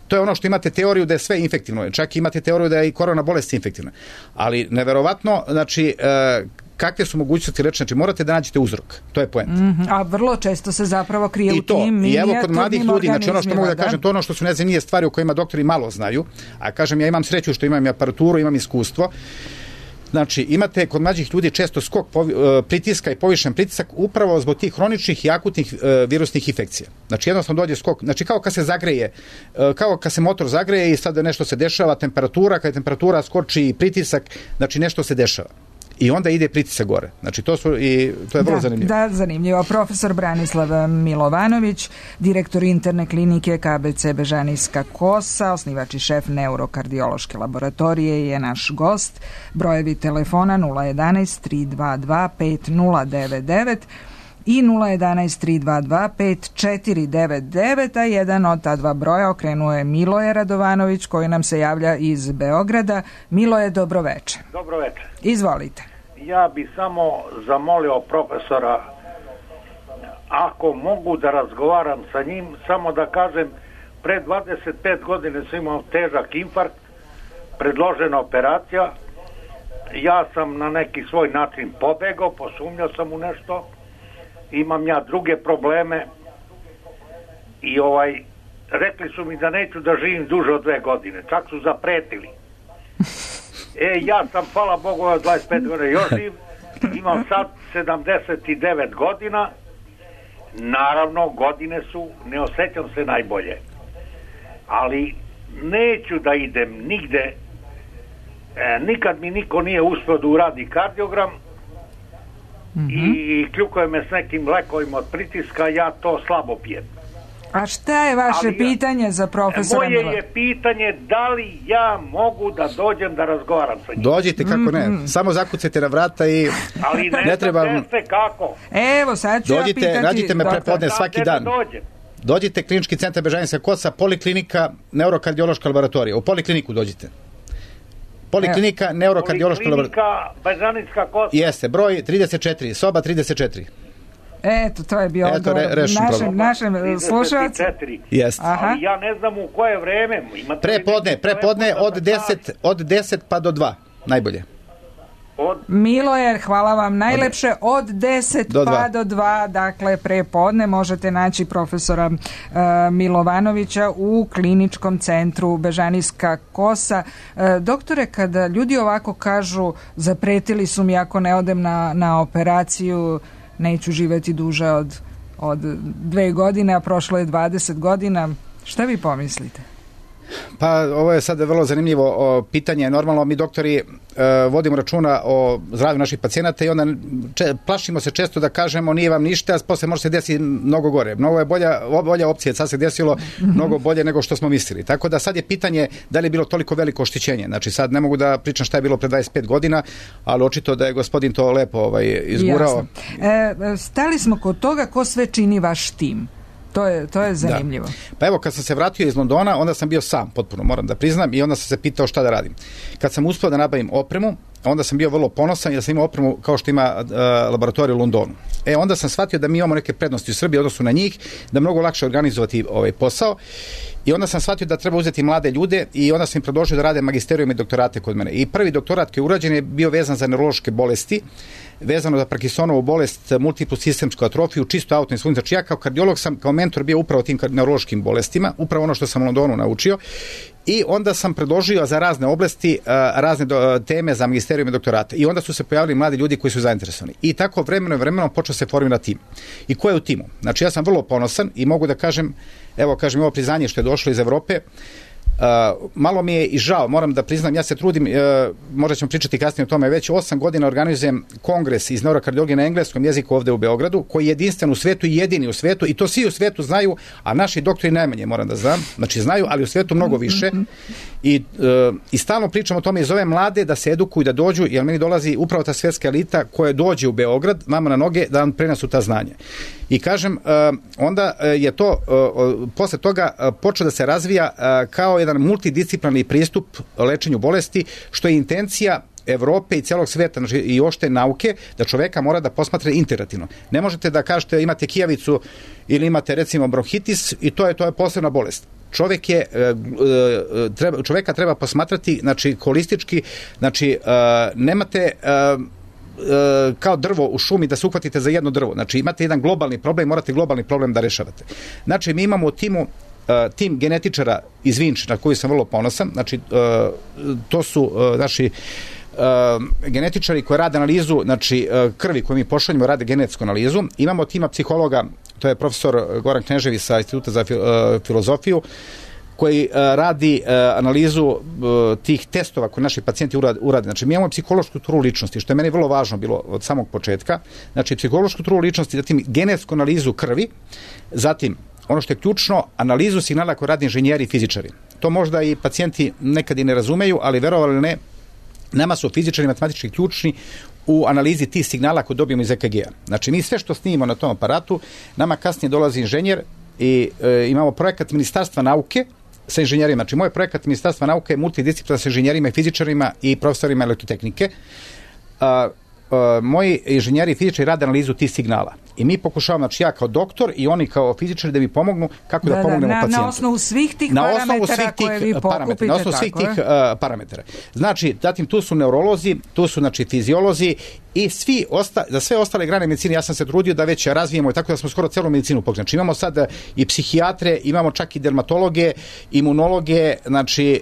Speaker 4: To je ono što imate teoriju da je sve infektivno, čak imate teoriju da je i korona bolest infektivna. Ali neverovatno, znači, e, kakve su mogućnosti lečenja, znači morate da nađete uzrok. To je poenta.
Speaker 3: Mm-hmm. A vrlo često se zapravo krije
Speaker 4: I
Speaker 3: u tim minijaturnim
Speaker 4: I evo kod mladih ljudi, znači ono što mogu da, da kažem, to ono što su nezanimljive stvari o kojima doktori malo znaju, a kažem ja imam sreću što imam i aparaturu, imam iskustvo. Znači, imate kod mlađih ljudi često skok povi, uh, pritiska i povišen pritisak upravo zbog tih hroničnih i akutnih uh, virusnih infekcija. Znači, jednostavno dođe skok, znači kao kad se zagreje, uh, kao kad se motor zagreje i sad nešto se dešava, temperatura, kad temperatura skoči i pritisak, znači nešto se dešava. I onda ide pritisak gore. Znači, to, su i, to je vrlo
Speaker 3: da,
Speaker 4: zanimljivo.
Speaker 3: Da, zanimljivo. Profesor Branislav Milovanović, direktor interne klinike K B C Bežanijska kosa, osnivač i šef neurokardiološke laboratorije je naš gost. Brojevi telefona nula jedanaest tri dva dva pet nula devet devet i nula jedanaest tri dva dva pet četiri devet devet, a jedan od ta dva broja okrenuo je Miloje Radovanović koji nam se javlja iz Beograda. Miloje, dobroveče.
Speaker 6: Dobroveče.
Speaker 3: Izvolite.
Speaker 6: Ja bih samo zamolio profesora ako mogu da razgovaram sa njim, samo da kažem, pre dvadeset pet godine sam imao težak infarkt, predložena operacija, ja sam na neki svoj način pobegao, posumnjao sam u nešto, imam ja druge probleme i ovaj, rekli su mi da neću da živim duže od dve godine, čak su zapretili. E, ja sam, hvala Bogu, od dvadeset pet godina još živ, imam sad sedamdeset devet godina, naravno godine su, ne osjećam se najbolje, ali neću da idem nigde, e, nikad mi niko nije uspio da uradi kardiogram, mm-hmm. i kljukuje me s nekim lekovima od pritiska, ja to slabo pijem.
Speaker 3: A šta je vaše ali pitanje ja, za profesora
Speaker 6: Moje
Speaker 3: Milo?
Speaker 6: je pitanje da li ja mogu da dođem da razgovaram sa njim.
Speaker 4: Dođite, kako ne, mm-hmm. samo zakucajte na vrata i
Speaker 6: ali ne,
Speaker 4: ne treba...
Speaker 6: se kako.
Speaker 3: Evo, sad ću
Speaker 4: dođite,
Speaker 3: ja pitati...
Speaker 4: Nađite me prepodne svaki dan.
Speaker 6: Dođem.
Speaker 4: Dođite, Klinički centar Bežanijska kosa, poliklinika, neurokardiološka laboratorija. U polikliniku dođite. Poliklinika, Evo. neurokardiološka laboratorija.
Speaker 6: Poliklinika, Bežanijska kosa.
Speaker 4: Jeste, broj trideset četiri, soba trideset četiri.
Speaker 3: Eto, to je bio
Speaker 4: Eto,
Speaker 3: odgovor
Speaker 4: re,
Speaker 3: našem, našem slušalcu.
Speaker 4: Jeste.
Speaker 6: Ali ja ne znam u koje vreme. Imate
Speaker 4: prepodne, prepodne od deset, od deset pa do dva, najbolje.
Speaker 3: Od... Miloje, hvala vam najlepše, od deset do pa do dva, dakle prepodne možete naći profesora uh, Milovanovića u Kliničkom centru Bežanijska kosa. Uh, doktore, kada ljudi ovako kažu zapretili su mi ako ne odem na, na operaciju, neću živjeti duže od, od dve godine, a prošlo je dvadeset godina, šta vi pomislite?
Speaker 4: Pa ovo je sad vrlo zanimljivo o, pitanje. Normalno mi doktori e, vodimo računa o zdravlju naših pacijenata i onda če, plašimo se često da kažemo nije vam ništa, a posle može se desiti mnogo gore. Mnogo je bolja, bolja opcija, sad se desilo mnogo bolje nego što smo mislili. Tako da sad je pitanje da li je bilo toliko veliko oštećenje. Znači sad ne mogu da pričam šta je bilo pre dvadeset pet godina, ali očito da je gospodin to lepo ovaj, izgurao.
Speaker 3: E, stali smo kod toga ko sve čini vaš tim. To je, to je zanimljivo.
Speaker 4: Da. Pa evo, kad sam se vratio iz Londona, onda sam bio sam, potpuno moram da priznam, i onda sam se pitao šta da radim. Kad sam uspio da nabavim opremu, onda sam bio vrlo ponosan jer sam imao opremu kao što ima uh, laboratorij u Londonu. E, onda sam shvatio da mi imamo neke prednosti u Srbiji u odnosu na njih, da mnogo lakše organizovati ovaj posao. I onda sam shvatio da treba uzeti mlade ljude i onda sam im predložio da rade magisterijum i doktorate kod mene. I prvi doktorat koji je urađen je bio vezan za neurološke bolesti, vezano za Parkinsonovu bolest, multiplu sistemsku atrofiju, čisto autoinsulin. Znači ja kao kardiolog sam, kao mentor bio upravo tim neurološkim bolestima, upravo ono što sam u Londonu naučio. I onda sam predložio za razne oblasti, razne do, teme za magisterijum i doktorate. I onda su se pojavili mladi ljudi koji su zainteresovani. I tako vremeno i vremeno počeo se formirati tim. I ko je u timu? Znači ja sam vrlo ponosan i mogu da kažem, evo kažem ovo priznanje što je došlo iz Evrope, Uh, malo mi je i žao, moram da priznam, ja se trudim, uh, možda ćemo pričati kasnije o tome, već osam godina organizujem kongres iz neurokardiologije na engleskom jeziku ovde u Beogradu, koji je jedinstven u svetu i jedini u svetu, i to svi u svetu znaju, a naši doktori najmanje, moram da znam, znači znaju, ali u svetu mnogo više. I, uh, i stalno pričam o tome i zovem mlade da se edukuju, da dođu, jer meni dolazi upravo ta svetska elita koja dođe u Beograd, vama na noge, da vam prenesu ta znanja. I kažem, uh, onda je to, uh, posle toga uh, počeo da se razvija uh, kao jedan multidisciplinarni pristup lečenju bolesti, što je intencija Evrope i celog sveta, znači i ošte nauke, da čoveka mora da posmatra integrativno. Ne možete da kažete imate kijavicu ili imate recimo bronhitis i to je to je posebna bolest. Čovjek je treba, čoveka treba posmatrati, znači holistički, znači nemate kao drvo u šumi da se uhvatite za jedno drvo. Znači imate jedan globalni problem, morate globalni problem da rešavate. Znači mi imamo u timu Uh, tim genetičara iz Vinče, na koji sam vrlo ponosan, znači uh, to su uh, naši uh, genetičari koji rade analizu, znači uh, krvi koju mi pošaljemo, rade genetsku analizu. Imamo tima psihologa, to je profesor Goran Knežević sa Instituta za fil, uh, filozofiju, koji uh, radi uh, analizu uh, tih testova koje naši pacijenti urade, urade. Znači mi imamo psihološku strukturu ličnosti, što je meni vrlo važno bilo od samog početka. Znači psihološku strukturu ličnosti, zatim genetsku analizu krvi, zatim ono što je ključno, analizu signala koje radi inženjeri i fizičari. To možda i pacijenti nekad i ne razumeju, ali verovali ili ne, nama su fizičari matematički ključni u analizi tih signala koje dobijemo iz E K G-a. Znači mi sve što snimimo na tom aparatu, nama kasnije dolazi inženjer i e, imamo projekat Ministarstva nauke sa inženjerima. Znači moj projekat Ministarstva nauke je multidisciplina sa inženjerima i fizičarima i profesorima elektrotehnike. A, moji inženjeri fizičari rade analizu tih signala. I mi pokušavamo, znači ja kao doktor i oni kao fizičari da mi pomognu kako da, da pomognemo
Speaker 3: na,
Speaker 4: pacijentu.
Speaker 3: Na osnovu svih tih
Speaker 4: na
Speaker 3: parametara
Speaker 4: svih tih
Speaker 3: koje vi pokupite.
Speaker 4: Na osnovu svih tih uh, parametara. Znači, zatim tu su neurolozi, tu su znači fiziolozi i svi osta, za sve ostale grane medicine ja sam se trudio da već razvijemo i tako da smo skoro celu medicinu pokrenuli. Znači imamo sad i psihijatre, imamo čak i dermatologe, imunologe, znači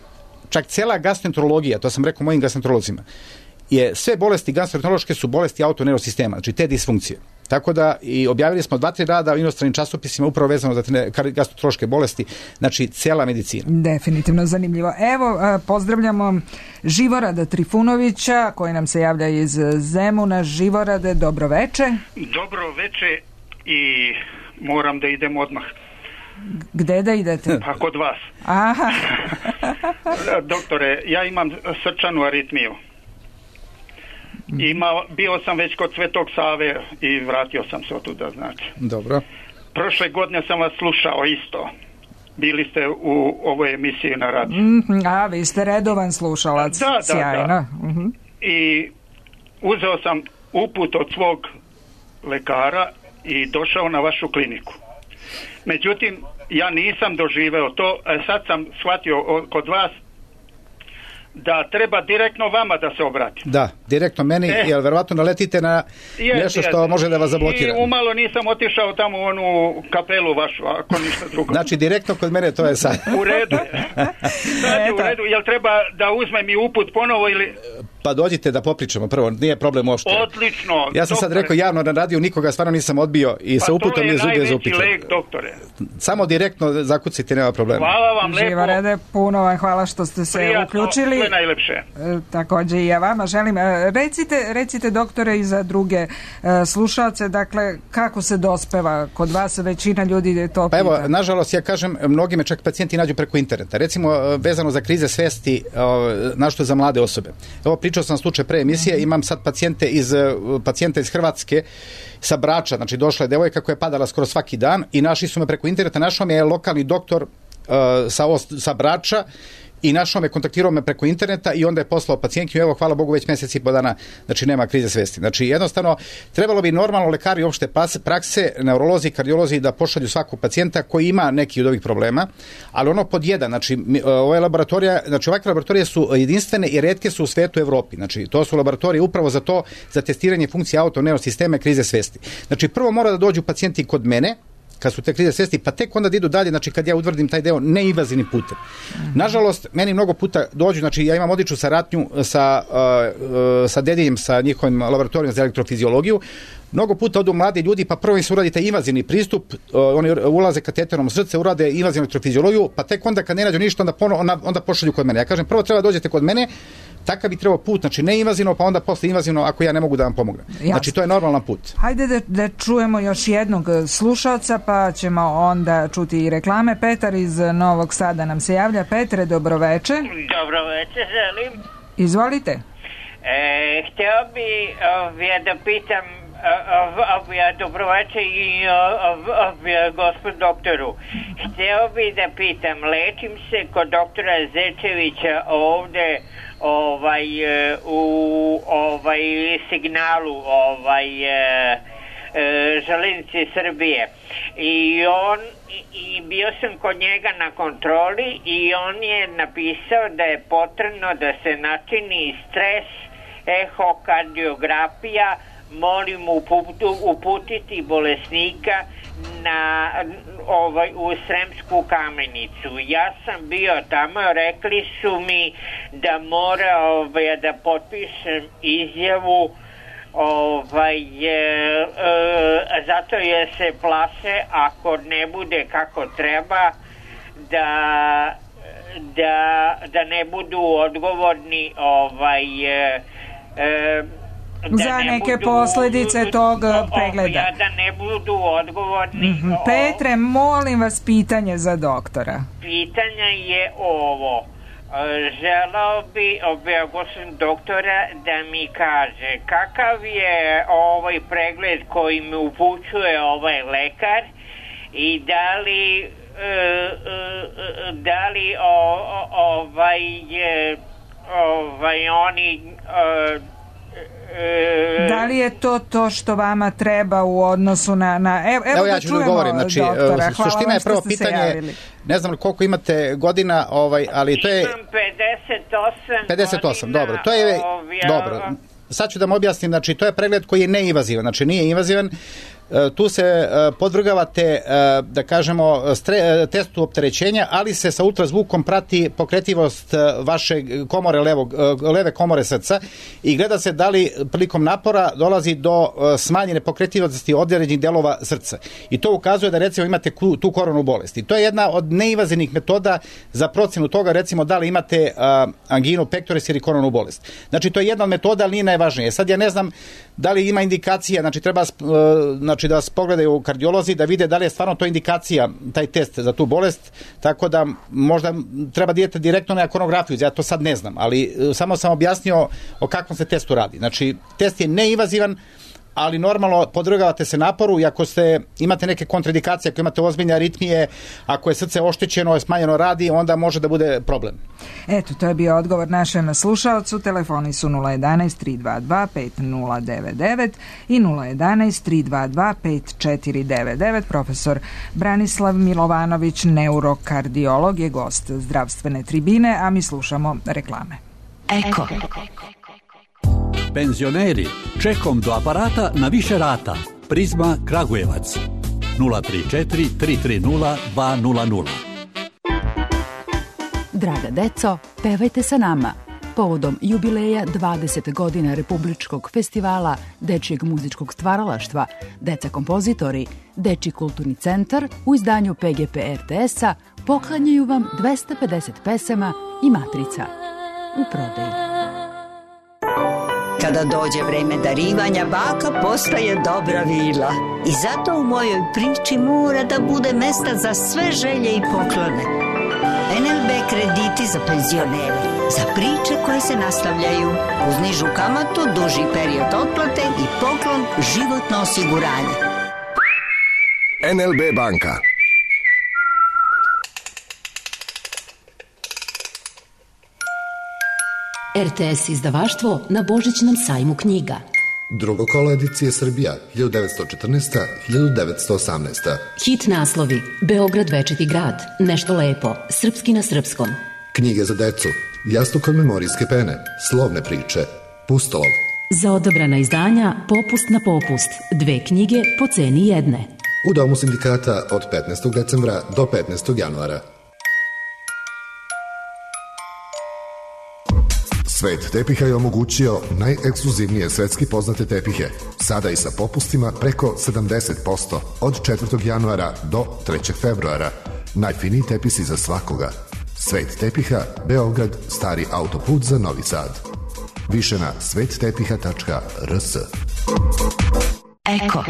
Speaker 4: čak cela gastroenterologija, to sam rekao mojim gastroenterolozima, je sve bolesti gastroenterološke su bolesti autoneurosistema, znači te disfunkcije. Tako da i objavili smo dva, tri rada u inostranim časopisima upravo vezano za te gastroenterološke bolesti, znači cela medicina.
Speaker 3: Definitivno zanimljivo. Evo, pozdravljamo Živorada Trifunovića, koji nam se javlja iz Zemuna. Živorade, dobro veče.
Speaker 7: Dobro veče i moram da idem odmah.
Speaker 3: Gde da idete?
Speaker 7: Pa kod vas.
Speaker 3: Aha.
Speaker 7: Doktore, ja imam srčanu aritmiju. Ima, bio sam već kod Svetog Save i vratio sam se otuda, znači.
Speaker 4: Dobro.
Speaker 7: Prošle godine sam vas slušao isto. Bili ste u ovoj emisiji na radiju.
Speaker 3: Mm-hmm, a, vi ste redovan slušalac.
Speaker 7: Da, da,
Speaker 3: sjajno.
Speaker 7: Da.
Speaker 3: Mm-hmm.
Speaker 7: I uzeo sam uput od svog lekara i došao na vašu kliniku. Međutim, ja nisam doživeo to. Sad sam shvatio kod vas da treba direktno vama da se obrati.
Speaker 4: Da, direktno meni, e, jer verovatno naletite na je, nešto što je, može da vas zablokira.
Speaker 7: I umalo nisam otišao tamo u onu kapelu vašu, ako ništa drugo.
Speaker 4: Znači, direktno kod mene to je sad.
Speaker 7: U redu je. Sad je u redu. Jel treba da uzmem i uput ponovo ili...
Speaker 4: Pa dođite da popričamo prvo, nije problem uopšte.
Speaker 7: Odlično.
Speaker 4: Ja sam
Speaker 7: doktore.
Speaker 4: sad rekao javno na radiju, nikoga stvarno nisam odbio i
Speaker 7: pa
Speaker 4: sa uputom je zubje za upičan.
Speaker 7: Pa to je najveći lek, doktore.
Speaker 4: Samo direktno zakucite, nema problema.
Speaker 7: Hvala vam lepo.
Speaker 3: Živorade, puno vam hvala što ste se
Speaker 7: Prijatno,
Speaker 3: uključili.
Speaker 7: Sve najlepše.
Speaker 3: E, takođe i ja vama želim. E, recite, recite doktore i za druge e, slušalce, dakle, kako se dospeva kod vas, većina ljudi to pita.
Speaker 4: Pa evo, nažalost, ja kažem, mnogi me čak pacijenti nađu preko interneta. Recimo, vezano za krize svesti, našto za mlade osobe. Evo, pričao sam slučaj pre emisije, imam sad pacijente iz, pacijenta iz Hrvatske sa Brača, znači došla je devojka koja je padala skoro svaki dan i našli su me preko interneta, našao me je lokalni doktor uh, sa, sa Brača i našao me, kontaktirao me preko interneta i onda je poslao pacijentkinju, evo hvala Bogu već mjesec i po dana, znači nema krize svesti. Znači jednostavno trebalo bi normalno lekari opšte prakse, neurolozi, kardiolozi da pošalju svakog pacijenta koji ima neki od ovih problema, ali ono pod jedan, znači ove laboratorije, znači ovakve laboratorije su jedinstvene i retke su u svetu Evropi, znači to su laboratorije upravo za to, za testiranje funkcije autoneurosistema krize svesti. Znači prvo mora da dođu pacijenti kod mene, kad su te krize svesti, pa tek onda da idu dalje, znači kad ja utvrdim taj deo neinvazivnim putem. Nažalost, meni mnogo puta dođu, znači ja imam odličnu saradnju sa, uh, sa Dedinjem, sa njihovim laboratorijom za elektrofiziologiju. Mnogo puta odu mladi ljudi, pa prvo im se uradi taj invazivni pristup, uh, oni ulaze kateterom u srce, urade invazivnu elektrofiziologiju, pa tek onda kad ne nađu ništa, onda, pono, onda, onda pošalju kod mene. Ja kažem, prvo treba dođete kod mene, takav bi trebao put, znači ne invazivno, pa onda posle invazivno ako ja ne mogu da vam pomognem. Jasne. Znači to je normalan put.
Speaker 3: Hajde da, da čujemo još jednog slušalca, pa ćemo onda čuti i reklame. Petar iz Novog Sada nam se javlja. Petre, dobroveče.
Speaker 8: Dobroveče, želim.
Speaker 3: Izvolite.
Speaker 8: E, htio bi ovdje da pitam ovdje dobroveče i ovdje gospod doktoru. Htio bi da pitam, lečim se kod doktora Zečevića ovdje ovaj u ovaj signalu ovaj e, e, Železnice Srbije i on i bio sam kod njega na kontroli i on je napisao da je potrebno da se načini stres ehokardiografija, molim uputiti bolesnika na ovaj u Sremsku Kamenicu. Ja sam bio tamo, rekli su mi da mora ovaj, da potpišem izjavu ovaj e, e, zato je se plaše ako ne bude kako treba da da, da ne budu odgovorni ovaj e, e,
Speaker 3: za neke budu, posljedice tog pregleda.
Speaker 8: Ja, da ne budu odgovorni.
Speaker 3: Mm-hmm. Petre, molim vas pitanje za doktora.
Speaker 8: Pitanje je ovo. Želao bi objagosim doktora da mi kaže kakav je ovaj pregled koji mi upućuje ovaj lekar i da li uh, uh, da li o, o, ovaj, uh, ovaj oni uh,
Speaker 3: Da li je to to što vama treba u odnosu na... na evo, evo,
Speaker 4: evo
Speaker 3: da
Speaker 4: ja ću da govorim. Znači,
Speaker 3: doktora.
Speaker 4: suština je prvo pitanje, ne znam koliko imate godina, ovaj, ali to je...
Speaker 8: Imam pedeset osam
Speaker 4: pedeset osam, dobro. To je... Dobro. Sad ću da vam objasnim, znači to je pregled koji je neinvazivan, znači nije invazivan. Tu se podvrgavate, da kažemo, testu opterećenja, ali se sa ultrazvukom prati pokretivost vaše komore levog, leve komore srca i gleda se da li prilikom napora dolazi do smanjene pokretivosti određenih delova srca. I to ukazuje da recimo imate tu koronarnu bolest. I to je jedna od neinvazivnih metoda za procenu toga, recimo da li imate anginu pectoris ili koronarnu bolest. Znači to je jedna od metoda, ali nije najvažnije. Sad ja ne znam da li ima indikacija, znači treba znači da vas pogledaju kardiolozi da vide da li je stvarno to indikacija, taj test za tu bolest, tako da možda treba da idete direktno na ekonografiju, ja to sad ne znam, ali samo sam objasnio o kakvom se testu radi. Znači, test je neinvazivan, ali normalno podvrgavate se naporu i ako ste, imate neke kontraindikacije, ako imate ozbiljne aritmije, ako je srce oštećeno, smanjeno radi, onda može da bude problem.
Speaker 3: Eto, to je bio odgovor našem slušaocu. Telefoni su nula jedanaest tri dva dva pet nula devet devet i nula jedanaest tri dva dva pet četiri devet devet. Profesor Branislav Milovanović, neurokardiolog, je gost zdravstvene tribine, a mi slušamo reklame.
Speaker 9: Eko.
Speaker 10: Penzioneri, čekom do aparata na više rata. Prizma Kragujevac. nula tri četiri tri tri nula dva nula nula.
Speaker 9: Draga deco, pevajte sa nama. Povodom jubileja dvadeset godina Republičkog festivala dečijeg muzičkog stvaralaštva Deca kompozitori, Dečiji kulturni centar u izdanju P G P R T S-a poklanjaju vam dvesta pedeset pesama i matrica u prodaji.
Speaker 11: Kada dođe vreme darivanja, baka postaje dobra vila. I zato u mojoj priči mora da bude mesta za sve želje i poklone. N L B krediti za penzionere, za priče koje se nastavljaju, uz nižu kamatu, duži period otplate i poklon životno osiguranje.
Speaker 12: N L B banka.
Speaker 13: R T S izdavaštvo na Božićnom sajmu knjiga.
Speaker 14: Drugo kolo edicije Srbija, hiljadu devetsto četrnaesta do hiljadu devetsto osamnaesta.
Speaker 13: Hit naslovi: Beograd večiti grad, Nešto lepo, Srpski na srpskom.
Speaker 14: Knjige za decu, Jastuk od memorijske pene, Slovne priče, Pustolov.
Speaker 13: Za odabrana izdanja Popust na popust, dve knjige po ceni jedne.
Speaker 14: U Domu sindikata od petnaestog decembra do petnaestog januara. Svet tepiha je omogućio najekskluzivnije svetski poznate tepihe, sada i sa popustima preko sedamdeset posto od četvrtog januara do trećeg februara. Najfiniji tepisi za svakoga. Svet tepiha, Beograd, stari autoput za Novi Sad. Više na svet tepiha tačka r s.
Speaker 9: Eko.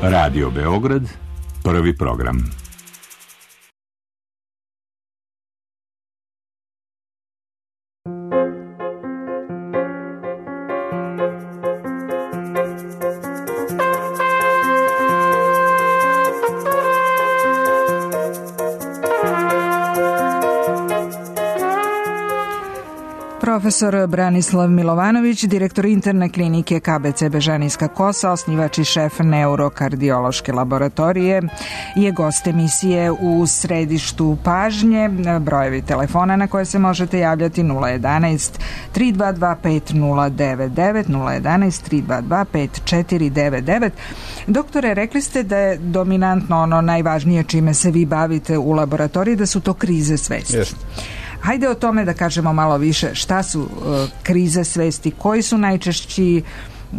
Speaker 15: Radio Beograd, prvi program.
Speaker 3: Profesor Branislav Milovanović, direktor interne klinike K B C Bežanijska kosa, osnivač i šef neurokardiološke laboratorije, je gost emisije U središtu pažnje. Brojevi telefona na koje se možete javljati nula jedanaest tri dva dva pet nula devet devet, nula jedanaest tri dva dva pet četiri devet devet. Doktore, rekli ste da je dominantno ono najvažnije čime se vi bavite u laboratoriji, da su to krize svesti.
Speaker 4: Yes.
Speaker 3: Hajde o tome da kažemo malo više. Šta su uh, krize svesti? Koji su najčešći uh,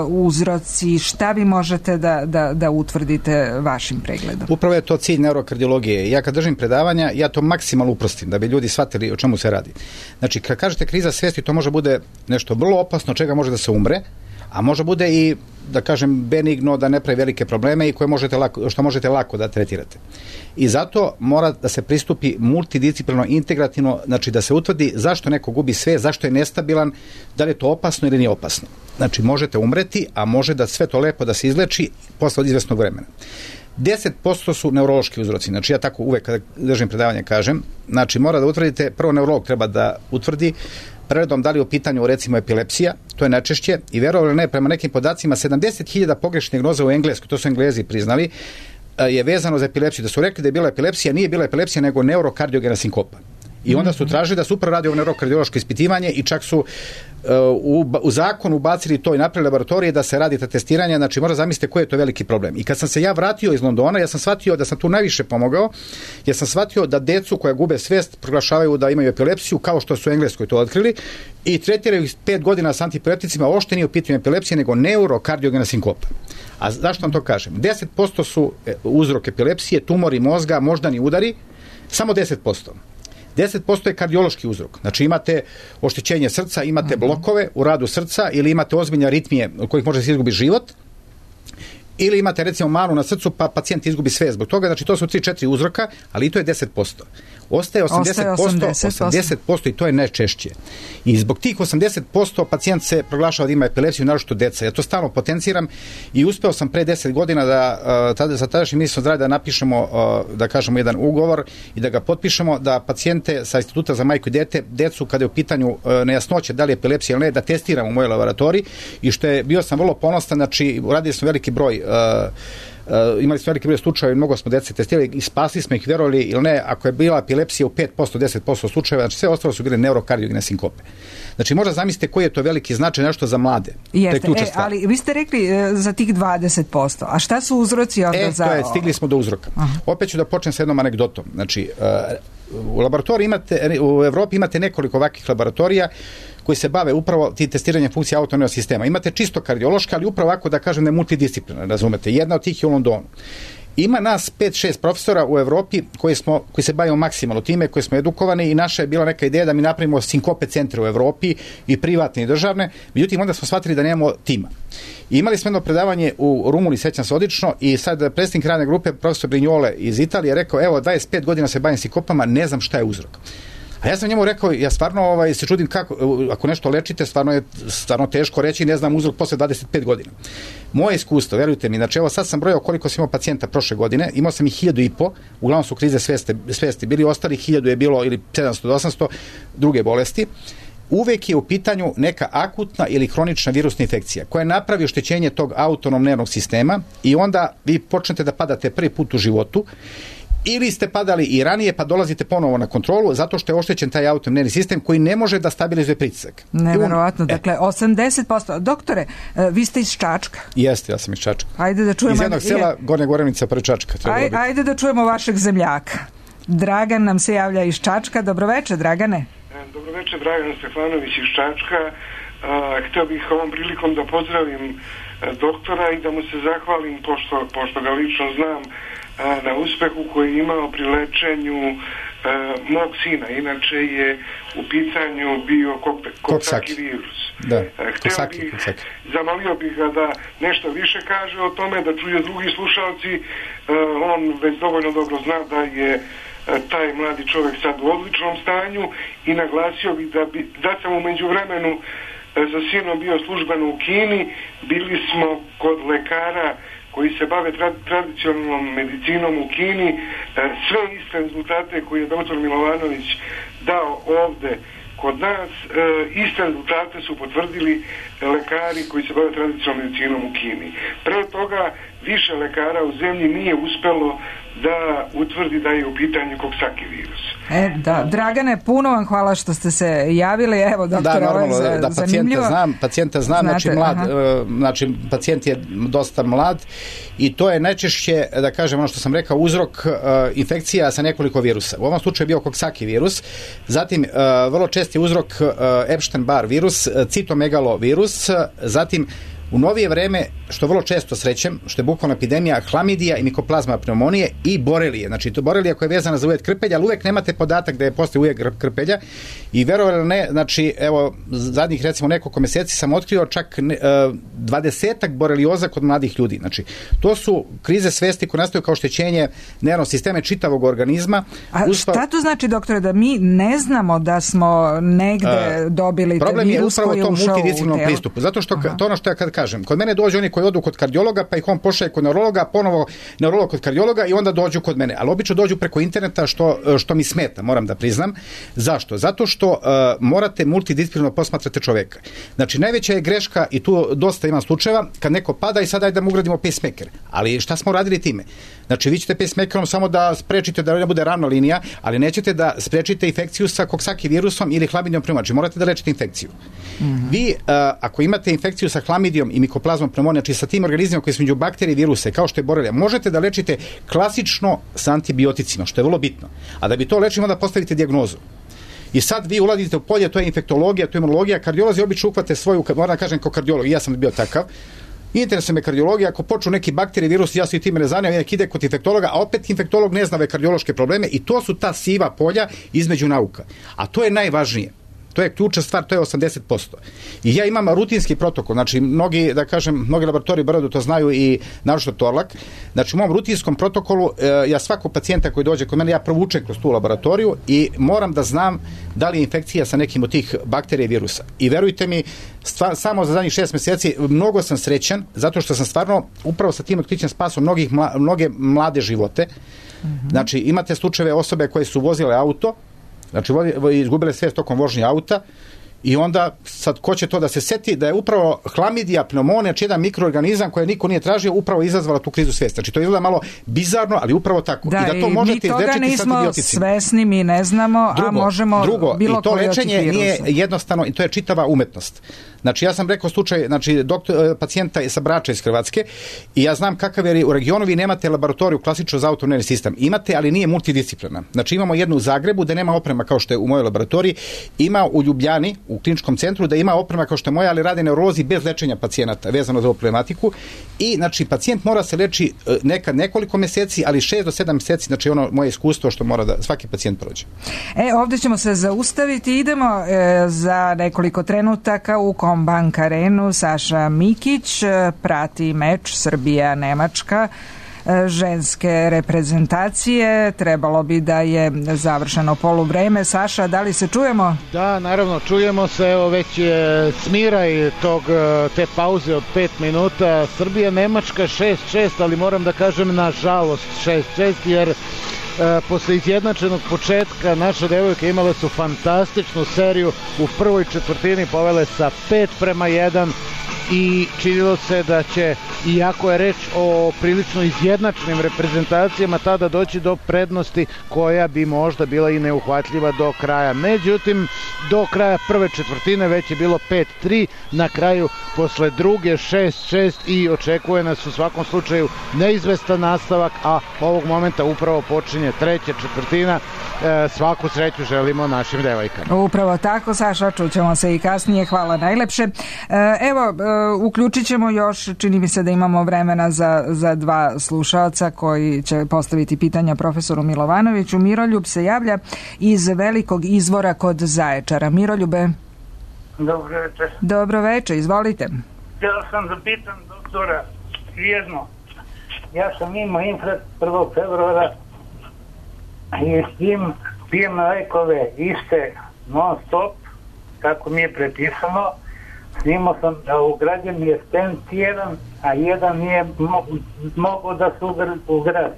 Speaker 3: uzroci? Šta vi možete da, da, da utvrdite vašim pregledom?
Speaker 4: Upravo je to cilj neurokardiologije. Ja kad držim predavanja, ja to maksimalno uprostim, da bi ljudi shvatili o čemu se radi. Znači, kad kažete kriza svesti, to može bude nešto vrlo opasno, čega može da se umre, a može bude i, da kažem, benigno, da ne pravi velike probleme i koje možete lako, što možete lako da tretirate. I zato mora da se pristupi multidisciplinarno, integrativno, znači da se utvrdi zašto neko gubi sve, zašto je nestabilan, da li je to opasno ili nije opasno. Znači, možete umreti, a može da sve to lepo da se izleči posle od izvesnog vremena. deset posto su neurološki uzroci, znači ja tako uvek kada držim predavanje kažem, znači mora da utvrdite, prvo neurolog treba da utvrdi preredom da li je u pitanju recimo epilepsija, to je najčešće, i verovali ne, prema nekim podacima sedamdeset hiljada pogrešnih dijagnoza u Engleskoj, to su Englezi priznali, je vezano za epilepsiju. Da su rekli da je bila epilepsija, nije bila epilepsija, nego neurokardiogena sinkopa. I onda su tražili da se upravo radi ovo neurokardiološko ispitivanje i čak su uh, u, u zakon ubacili to i napravili laboratorije da se radi ta testiranja, znači mora zamislite koji je to veliki problem. I kad sam se ja vratio iz Londona, ja sam shvatio da sam tu najviše pomogao, jer sam shvatio da decu koja gube svest proglašavaju da imaju epilepsiju, kao što su u Engleskoj to otkrili, i tretiraju ih pet godina s antiepilepticima, uopšte nije u pitanju epilepcije, nego neurokardiogena sinkopa. A zašto vam to kažem? deset posto su uzrok epilepsije, tumori mozga, moždani udari, samo deset posto. deset posto je kardiološki uzrok. Znači imate oštećenje srca, imate blokove u radu srca ili imate ozbiljne aritmije od kojih može se izgubiti život, ili imate recimo manu na srcu pa pacijent izgubi sve zbog toga. Znači to su tri četiri uzroka, ali i to je deset posto. Ostaje osamdeset posto, osamdeset posto i to je najčešće. I zbog tih osamdeset posto pacijent se proglašava da ima epilepsiju, naročito deca. Ja to stalno potenciram i uspeo sam pre deset godina da uh, tada, sa tadašnjim ministrom zdravlja da napišemo, uh, da kažemo jedan ugovor i da ga potpišemo, da pacijente sa Instituta za majku i dete, decu kada je u pitanju uh, nejasnoće da li je epilepsija ili ne, da testiramo u mojoj laboratoriji, i što je, bio sam vrlo ponosan, znači uradili smo veliki broj uh, Uh, imali smo veliki broj slučajeva i mnogo smo dece testirali i spasili smo ih, verovali ili ne, ako je bila epilepsija u pet posto, deset posto slučajeva, znači sve ostalo su bile neurokardiogene sinkope. Znači možda zamislite koji je to veliki značaj, nešto za mlade.
Speaker 3: Jeste, to je e, ali vi ste rekli e, za tih dvadeset posto, a šta su uzroci onda
Speaker 4: e,
Speaker 3: za...
Speaker 4: E, to je, stigli smo do uzroka. Aha. Opet ću da počnem sa jednom anegdotom. Znači, uh, u laboratoriji imate, u Evropi imate nekoliko ovakvih laboratorija koji se bave upravo ti testiranjem funkcije autonomnog sistema. Imate čisto kardiološka, ali upravo ovako da kažem ne multidisciplinarna, razumete. Jedna od tih je u Londonu. Ima nas pet šest profesora u Evropi koji smo koji se bavimo maksimalno time, koji smo edukovani, i naša je bila neka ideja da mi napravimo sinkope centre u Evropi, i privatne i državne. Međutim, onda smo shvatili da nemamo tima. I imali smo jedno predavanje u Rumuniji, sećam se odlično, i sad predsjednik radne grupe, profesor Brignole iz Italije, rekao, evo, dvadeset pet godina se bavim sinkopama, ne znam šta je uzrok. A ja sam njemu rekao, ja stvarno ovaj, se čudim kako, ako nešto lečite, stvarno je stvarno teško reći, ne znam uzrok posle dvadeset pet godina. Moje iskustvo, verujte mi, znači evo sad sam brojao koliko sam imao pacijenta prošle godine, imao sam ih hiljadu i po, uglavnom su krize svesti, svesti bili, ostali hiljadu je bilo, ili sedamsto do osamsto, druge bolesti. Uvek je u pitanju neka akutna ili hronična virusna infekcija koja napravi oštećenje tog autonomnog nervnog sistema, i onda vi počnete da padate prvi put u životu, ili ste padali i ranije pa dolazite ponovo na kontrolu zato što je oštećen taj autonomni nervni sistem koji ne može da stabilizuje pritisak.
Speaker 3: Neverovatno, dakle osamdeset posto. Doktore, vi ste iz Čačka?
Speaker 4: Jeste, ja sam iz Čačka.
Speaker 3: Ajde da čujemo.
Speaker 4: Iz jednog sela Gornja Gorenica pre Čačka.
Speaker 3: Aj, ajde da čujemo vašeg zemljaka. Dragan nam se javlja iz Čačka. Dobroveče, Dragane.
Speaker 16: Dobroveče, Dragan Stefanović iz Čačka. Hteo bih ovom prilikom da pozdravim doktora i da mu se zahvalim, pošto, pošto ga lično znam, na uspehu koji je imao pri lečenju uh, mog sina. Inače je u pitanju bio koksaki virus.
Speaker 4: Da,
Speaker 16: Hteo bih, zamolio bih ga da nešto više kaže o tome, da čuje drugi slušalci. Uh, on već dovoljno dobro zna da je uh, taj mladi čovjek sad u odličnom stanju, i naglasio bih da, bi, da sam u međuvremenu uh, sa sinom bio službeno u Kini. Bili smo kod lekara koji se bave tra- tradicionalnom medicinom u Kini, e, sve iste rezultate koje je doktor Milovanović dao ovde kod nas e, iste rezultate su potvrdili lekari koji se bave tradicionalnom medicinom u Kini. Pre toga više lekara u zemlji nije uspelo da utvrdi da je u pitanju Coxsackie virus.
Speaker 3: E, da, Dragane, puno vam hvala što ste se javili. Evo, doktore,
Speaker 4: da,
Speaker 3: ovo je za,
Speaker 4: da,
Speaker 3: zanimljivo.
Speaker 4: Znam, pacijenta znam,
Speaker 3: Znate,
Speaker 4: znači, mlad,
Speaker 3: aha.
Speaker 4: znači pacijent je dosta mlad i to je najčešće, da kažem, ono što sam rekao, uzrok uh, infekcija sa nekoliko virusa. U ovom slučaju je bio Coxsackie virus, zatim uh, vrlo česti uzrok uh, Epstein-Barr virus, uh, citomegalovirus, uh, zatim u novije vreme, što vrlo često srećem, što je bukvalna epidemija, hlamidija i mikoplazma pneumonije i borelije. Znači, to borelija koja je vezana za uvjet krpelja, ali uvek nemate podatak da je postoji uvjet krpelja i verovali ne, znači, evo, zadnjih recimo nekoliko meseci sam otkrio čak dvadesetak borelioza kod mladih ljudi. Znači, to su krize svesti koje nastaju kao oštećenje nervnog sistema čitavog organizma.
Speaker 3: A Uspa... šta to znači, doktore, da mi ne znamo da smo negde uh, dobili te virus koji je ušao u telo?
Speaker 4: Problem je upravo tom multidisciplinarnom pristupu. Zato što Aha. to ono što ja kad kažem, kod mene dođu oni koji odu kod kardiologa, pa ih on pošalje kod neurologa, ponovo neurolog kod kardiologa i onda dođu kod mene. Ali obično dođu preko interneta, što, što mi smeta, moram da priznam. Zašto? Zato što uh, morate multidisciplinarno posmatrate čoveka. Znači, najveća je greška, i tu dosta ima slučajeva, kad neko pada i sad ajde da mu ugradimo pacemaker. Ali šta smo radili time? Znači, vi ćete pacemakerom samo da sprečite da ne bude ravna linija, ali nećete da sprečite infekciju sa Coxsackie virusom ili hlamidijom pneumonijom. Znači, morate da lečite infekciju. Mm-hmm. Vi, uh, ako imate infekciju sa hlamidijom i mikoplazmom pneumonije, znači sa tim organizmima koji su među bakterije i viruse, kao što je borelija, možete da lečite klasično sa antibioticima, što je vrlo bitno. A da bi to lečili, onda postavite dijagnozu. I sad vi ulazite u polje, to je infektologija, to je imunologija, kardiolozi obično uhvate svoju, moram da kažem kao kardiolog, ja sam bio takav, interesuje me kardiologija, ako počnu neki bakterije, virus, ja se i time ne zanimam, nek ide kod infektologa, a opet infektolog ne zna ove kardiološke probleme i to su ta siva polja između nauka. A to je najvažnije. To je ključna stvar, to je osamdeset posto. I ja imam rutinski protokol, znači mnogi, da kažem, mnogi laboratoriji brdo to znaju i naročito Torlak. Znači u mom rutinskom protokolu ja svakog pacijenta koji dođe kod mene, ja provučem kroz tu laboratoriju i moram da znam da li je infekcija sa nekim od tih bakterija i virusa. I verujte mi, stva, samo za zadnjih šest mjeseci mnogo sam srećan, zato što sam stvarno upravo sa tim otkrićem spasao mnogih, mla, mnoge mlade živote. Mm-hmm. Znači imate slučajeve osobe koje su vozile auto, znači izgubile svijest tokom vožnje auta i onda sad ko će to da se seti da je upravo hlamidija pneumonija, znači jedan mikroorganizam koje niko nije tražio, upravo izazvala tu krizu svijesti. Znači to izgleda malo bizarno, ali upravo tako.
Speaker 3: Da,
Speaker 4: i da to možete izlečiti sa antibioticima.
Speaker 3: Mi toga nismo svesni, mi ne znamo, drugo, a možemo
Speaker 4: drugo,
Speaker 3: bilo
Speaker 4: koji od tih virusa. I to lečenje nije jednostavno, i to je čitava umetnost. Znači ja sam rekao slučaj, znači doktor, pacijenta je sa Brača iz Hrvatske i ja znam kakav je u regionu, vi nemate laboratoriju klasično za autonomni sistem. Imate, ali nije multidisciplina. Znači imamo jednu u Zagrebu da nema oprema kao što je u mojoj laboratoriji, ima u Ljubljani, u kliničkom centru da ima oprema kao što je moja, ali rade neurolozi bez lečenja pacijenata vezano za ovu problematiku i znači pacijent mora se leči nekad nekoliko mjeseci, ali šest do sedam mjeseci, znači ono moje iskustvo što mora da svaki pacijent prođe.
Speaker 3: E, ovdje ćemo se zaustaviti, idemo e, za nekoliko trenutaka u Kombank Arenu. Saša Mikić prati meč Srbija-Nemačka ženske reprezentacije. Trebalo bi da je završeno poluvreme. Saša, da li se čujemo?
Speaker 2: Da, naravno, čujemo se. Evo već je smiraj tog, te pauze od pet minuta. Srbija-Nemačka šest šest, ali moram da kažem nažalost šest šest, jer e, posle izjednačenog početka naše devojke imale su fantastičnu seriju. U prvoj četvrtini povele sa pet prema jedan i činilo se da će, iako je reč o prilično izjednačenim reprezentacijama, tada doći do prednosti koja bi možda bila i neuhvatljiva do kraja. Međutim, do kraja prve četvrtine već je bilo pet tri, na kraju posle druge šest šest i očekuje nas u svakom slučaju neizvestan nastavak, a ovog momenta upravo počinje treća četvrtina. E, svaku sreću želimo našim devojkama.
Speaker 3: Upravo tako, Saša, čućemo se i kasnije. Hvala najlepše. E, evo, e, uključit ćemo još, čini mi se da imamo vremena za, za dva slušalca koji će postaviti pitanja profesoru Milovanoviću. Miroljub se javlja iz Velikog Izvora kod Zaječara. Miroljube.
Speaker 17: Dobro večer.
Speaker 3: Dobro večer, izvolite.
Speaker 17: Htio sam da pitam doktora jedno. Ja sam imao infarkt prvog februara i s tim pijem lekove iste non stop, kako mi je prepisano. Snimao sam da ugrađen je stent jedan, a jedan nije mo- mogao da se ugradi.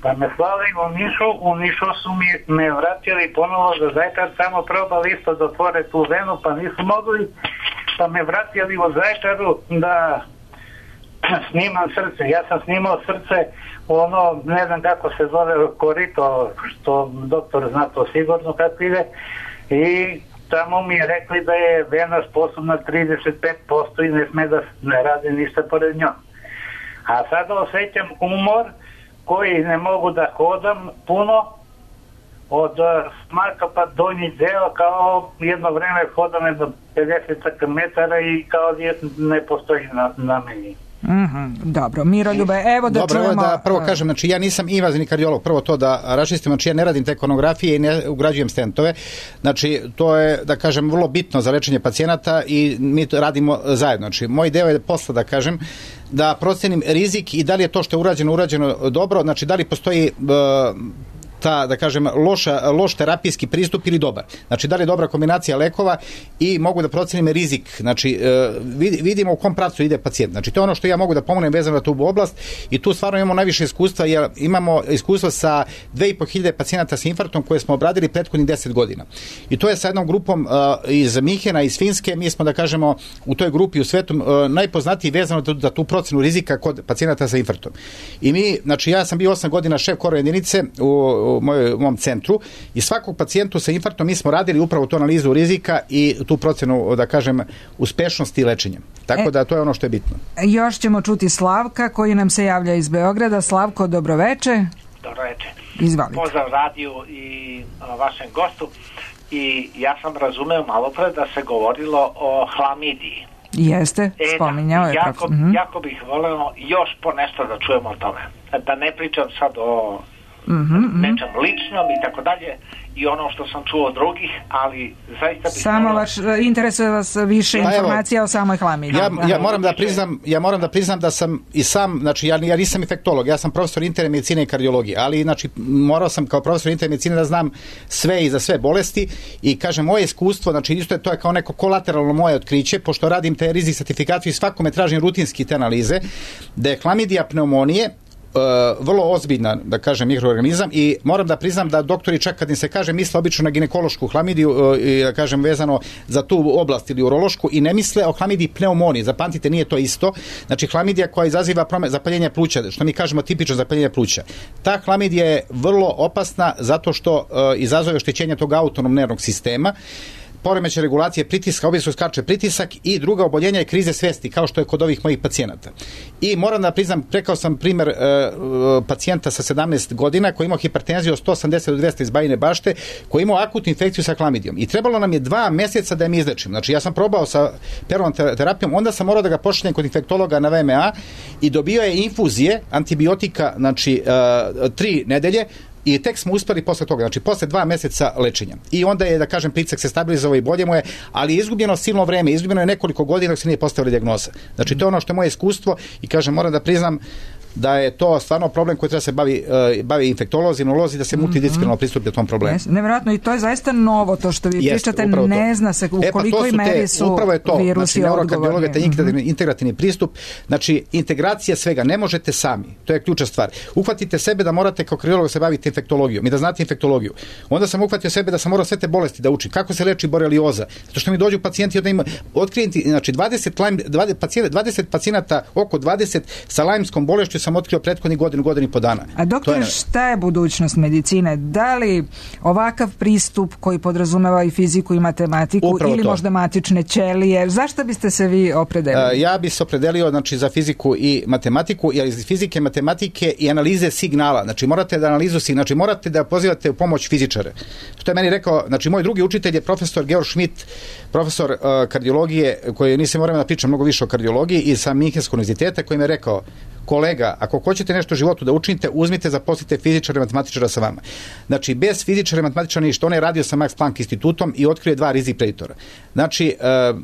Speaker 17: Pa me slali u Nišu, u Nišu su mi me vratili ponovo za Zaječar, samo probali isto da otvore tu venu, pa nisu mogli, pa me vratili u Zaječaru da snimam srce. Ja sam snimao srce, ono, ne znam kako se zove, korito, što doktor zna to sigurno kako ide, i tamo mi je rekli da je vena sposobna trideset pet posto i ne sme da ne radi ništa pored njom. A sada osjećam umor koji ne mogu da hodam puno, od smaka pa donji deo, kao jedno vreme hodam jedno pedeset metara i kao ne postoji na, na meni.
Speaker 3: Mm-hmm, dobro, Miroljube, evo da
Speaker 4: dobro,
Speaker 3: čujemo...
Speaker 4: Dobro, da prvo kažem, znači ja nisam invazivni kardiolog, prvo to da raščistim, znači ja ne radim te konografije i ne ugrađujem stentove, znači to je, da kažem, vrlo bitno za lečenje pacijenata i mi to radimo zajedno, znači moj deo je posla, da kažem, da procenim rizik i da li je to što je urađeno, urađeno dobro, znači da li postoji... Uh, ta, da kažem, loša, loš terapijski pristup ili dobar. Znači, da li je dobra kombinacija lekova i mogu da procenim rizik. Znači, vidimo u kom pravcu ide pacijent. Znači, to je ono što ja mogu da pomognem vezano na tu oblast i tu stvarno imamo najviše iskustva, jer imamo iskustvo sa dve i po hiljade pacijenata sa infarktom koje smo obradili prethodnih deset godina. I to je sa jednom grupom iz Minhena, iz Finske, mi smo, da kažemo, u toj grupi u svetu najpoznatiji vezano za tu procenu rizika kod pacijenata sa infarktom. I mi, znači, ja sam bio osam godina šef koro jedinice u u moj, mom centru i svakog pacijentu sa infarktom mi smo radili upravo tu analizu rizika i tu procenu, da kažem, uspešnosti lečenja. Tako e, da to je ono što je bitno.
Speaker 3: Još ćemo čuti Slavka koji nam se javlja iz Beograda. Slavko, dobroveče.
Speaker 18: Dobroveče.
Speaker 3: Izvalite.
Speaker 18: Pozdrav radiju i a, vašem gostu. I ja sam razumeo malo pre da se govorilo o hlamidiji.
Speaker 3: Jeste,
Speaker 18: e,
Speaker 3: spominjao je.
Speaker 18: Jako, mm-hmm. jako bih voleo još po nešto da čujemo o tome. Da ne pričam sad o Mm-hmm. nečem ličnom i tako dalje i ono što sam čuo od drugih, ali zaista bih
Speaker 3: samo vas interesuje vas više pa informacija evo, o samoj hlamidiji.
Speaker 4: Ja, ja moram da priznam, ja moram da priznam da sam i sam, znači ja, ja nisam infektolog, ja sam profesor interne medicine i kardiologije, ali znači morao sam kao profesor interne medicine da znam sve i za sve bolesti i kažem moje iskustvo, znači isto je to je kao neko kolateralno moje otkriće, pošto radim te rizik sertifikaciju i svakome tražim rutinski te analize, da je hlamidija pneumonije Uh, vrlo ozbiljna, da kažem, mikroorganizam i moram da priznam da doktori čak kad im se kaže misle obično na ginekološku hlamidiju uh, i da kažem vezano za tu oblast ili urološku i ne misle o hlamidiji pneumoniji, zapamtite nije to isto, znači hlamidija koja izaziva prome, zapaljenje pluća, što mi kažemo tipično zapaljenje pluća. Ta hlamidija je vrlo opasna zato što uh, izazove oštećenje tog autonomnog nervnog sistema, poremećaj regulacije pritiska, obično skače pritisak i druga oboljenja je krize svesti, kao što je kod ovih mojih pacijenata. I moram da priznam, rekao sam primjer e, pacijenta sa sedamnaest godina koji imao hipertenziju od sto osamdeset do dvesta iz Bajine Bašte, koji imao akutnu infekciju sa hlamidijom. I trebalo nam je dva mjeseca da je mi izlečim. Znači ja sam probao sa peroralnom terapijom, onda sam morao da ga pošaljem kod infektologa na V M A i dobio je infuzije antibiotika, znači e, tri nedelje, i tek smo uspeli posle toga, znači posle dva mjeseca lečenja. I onda je, da kažem, pritisak se stabilizovao i bolje mu je, ali je izgubljeno silno vreme, izgubljeno je nekoliko godina dok se nije postavila dijagnoza. Znači to je ono što je moje iskustvo i kažem, moram da priznam da je to stvarno problem koji treba se bavi, uh, bavi infektolozi, imunolozi, da se multidisciplinarno pristupi tom problemu.
Speaker 3: Yes, nevjerojatno i to je zaista novo to što vi yes, pričate, ne zna se u e, kolikoj
Speaker 4: pa
Speaker 3: meri su
Speaker 4: upravo je to,
Speaker 3: virusi
Speaker 4: znači,
Speaker 3: odgovorni.
Speaker 4: Taj integrativni, integrativni pristup, znači integracija svega, ne možete sami, to je ključna stvar. Uhvatite sebe da morate kao kardiolog se baviti infektologijom i da znate infektologiju. Onda sam uhvatio sebe da sam morao sve te bolesti da učim. Kako se leči borelioza? Zato što mi dođu pacijenti da ima otkrijenti, znači dvadeset, dvadeset, pacijenta, dvadeset pacijenata, oko dvadeset sa lajmskom bolešću sam otkrio prethodnih godinu, godinu i po dana.
Speaker 3: A doktor, je... šta je budućnost medicine? Da li ovakav pristup koji podrazumeva i fiziku i matematiku upravo ili to. Možda matične ćelije? Zašto biste se vi opredelili?
Speaker 4: Uh, ja bih se opredelio znači, za fiziku i matematiku, jer iz fizike, matematike i analize signala. Znači morate da analizu signala, znači morate da pozivate u pomoć fizičare. Što je meni rekao, znači moj drugi učitelj je profesor Georg Schmidt, profesor uh, kardiologije, koji nisam morao da pričam mnogo više o kardiologiji i sa Minhenskog univerziteta, koji mi je rekao, kolega, ako hoćete nešto u životu da učinite, uzmite, zaposlite fizičara i matematičara sa vama. Znači, bez fizičara i matematičara ništa. On je radio sa Max Planck institutom i otkrio dva rizik preditora. Znači, e,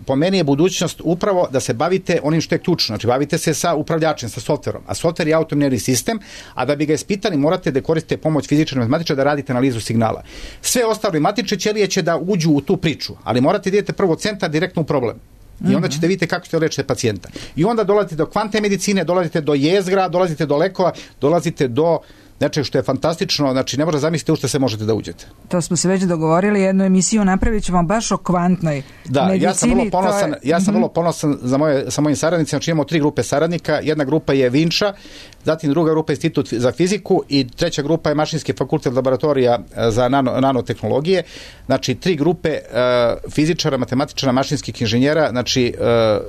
Speaker 4: po meni je budućnost upravo da se bavite onim što je ključno. Znači, bavite se sa upravljačem, sa softverom. A softver je autonomni sistem, a da bi ga ispitali, morate da koristite pomoć fizičara i matematičara da radite analizu signala. Sve ostale matične ćelije će da uđu u tu priču, ali morate da idete prvo centar direktno u problem. I onda ćete vidjeti kako ćete lečiti pacijenta. I onda dolazite do kvantne medicine, dolazite do jezgra, dolazite do lekova, dolazite do nečeg što je fantastično, znači ne možete zamisliti u što se možete da uđete.
Speaker 3: To smo se već dogovorili, jednu emisiju napravit ćemo baš o kvantnoj
Speaker 4: da,
Speaker 3: medicini.
Speaker 4: Ja sam vrlo ponosan,
Speaker 3: je...
Speaker 4: ja sam vrlo ponosan za moje, sa mojim saradnicima, znači imamo tri grupe saradnika, jedna grupa je Vinča, zatim druga grupa je Institut za fiziku i treća grupa je Mašinski fakultet laboratorija za nano, nanotehnologije. Znači tri grupe uh, fizičara, matematičara, mašinskih inženjera, znači uh,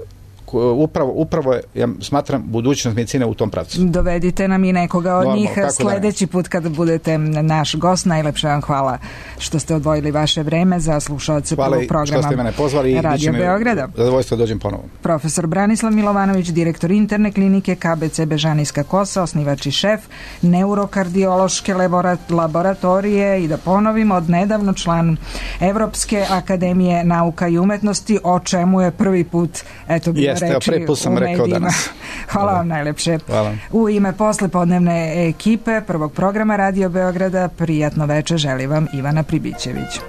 Speaker 4: upravo, upravo je, ja smatram, budućnost medicine u tom pravcu.
Speaker 3: Dovedite nam i nekoga od
Speaker 4: Normalno,
Speaker 3: njih sledeći
Speaker 4: da
Speaker 3: put kada budete naš gost. Najlepše vam hvala što ste odvojili vaše vreme za slušaoce prvog programa
Speaker 4: što ste mene pozvali i
Speaker 3: Radio Beograda.
Speaker 4: Zadovoljstvo da dođem ponovo.
Speaker 3: Profesor Branislav Milovanović, direktor interne klinike K B C Bežanijska Kosa, osnivač i šef neurokardiološke laboratorije i da ponovim, od nedavno član Evropske akademije nauka i umetnosti, o čemu je prvi put eto bilo
Speaker 4: Jeste,
Speaker 3: reči
Speaker 4: prvi put sam
Speaker 3: u
Speaker 4: rekao
Speaker 3: medijima.
Speaker 4: danas.
Speaker 3: Hvala vam najlepše.
Speaker 4: Hvala.
Speaker 3: U ime poslepodnevne ekipe prvog programa Radio Beograda prijatno veče želi vam Ivana Pribićević.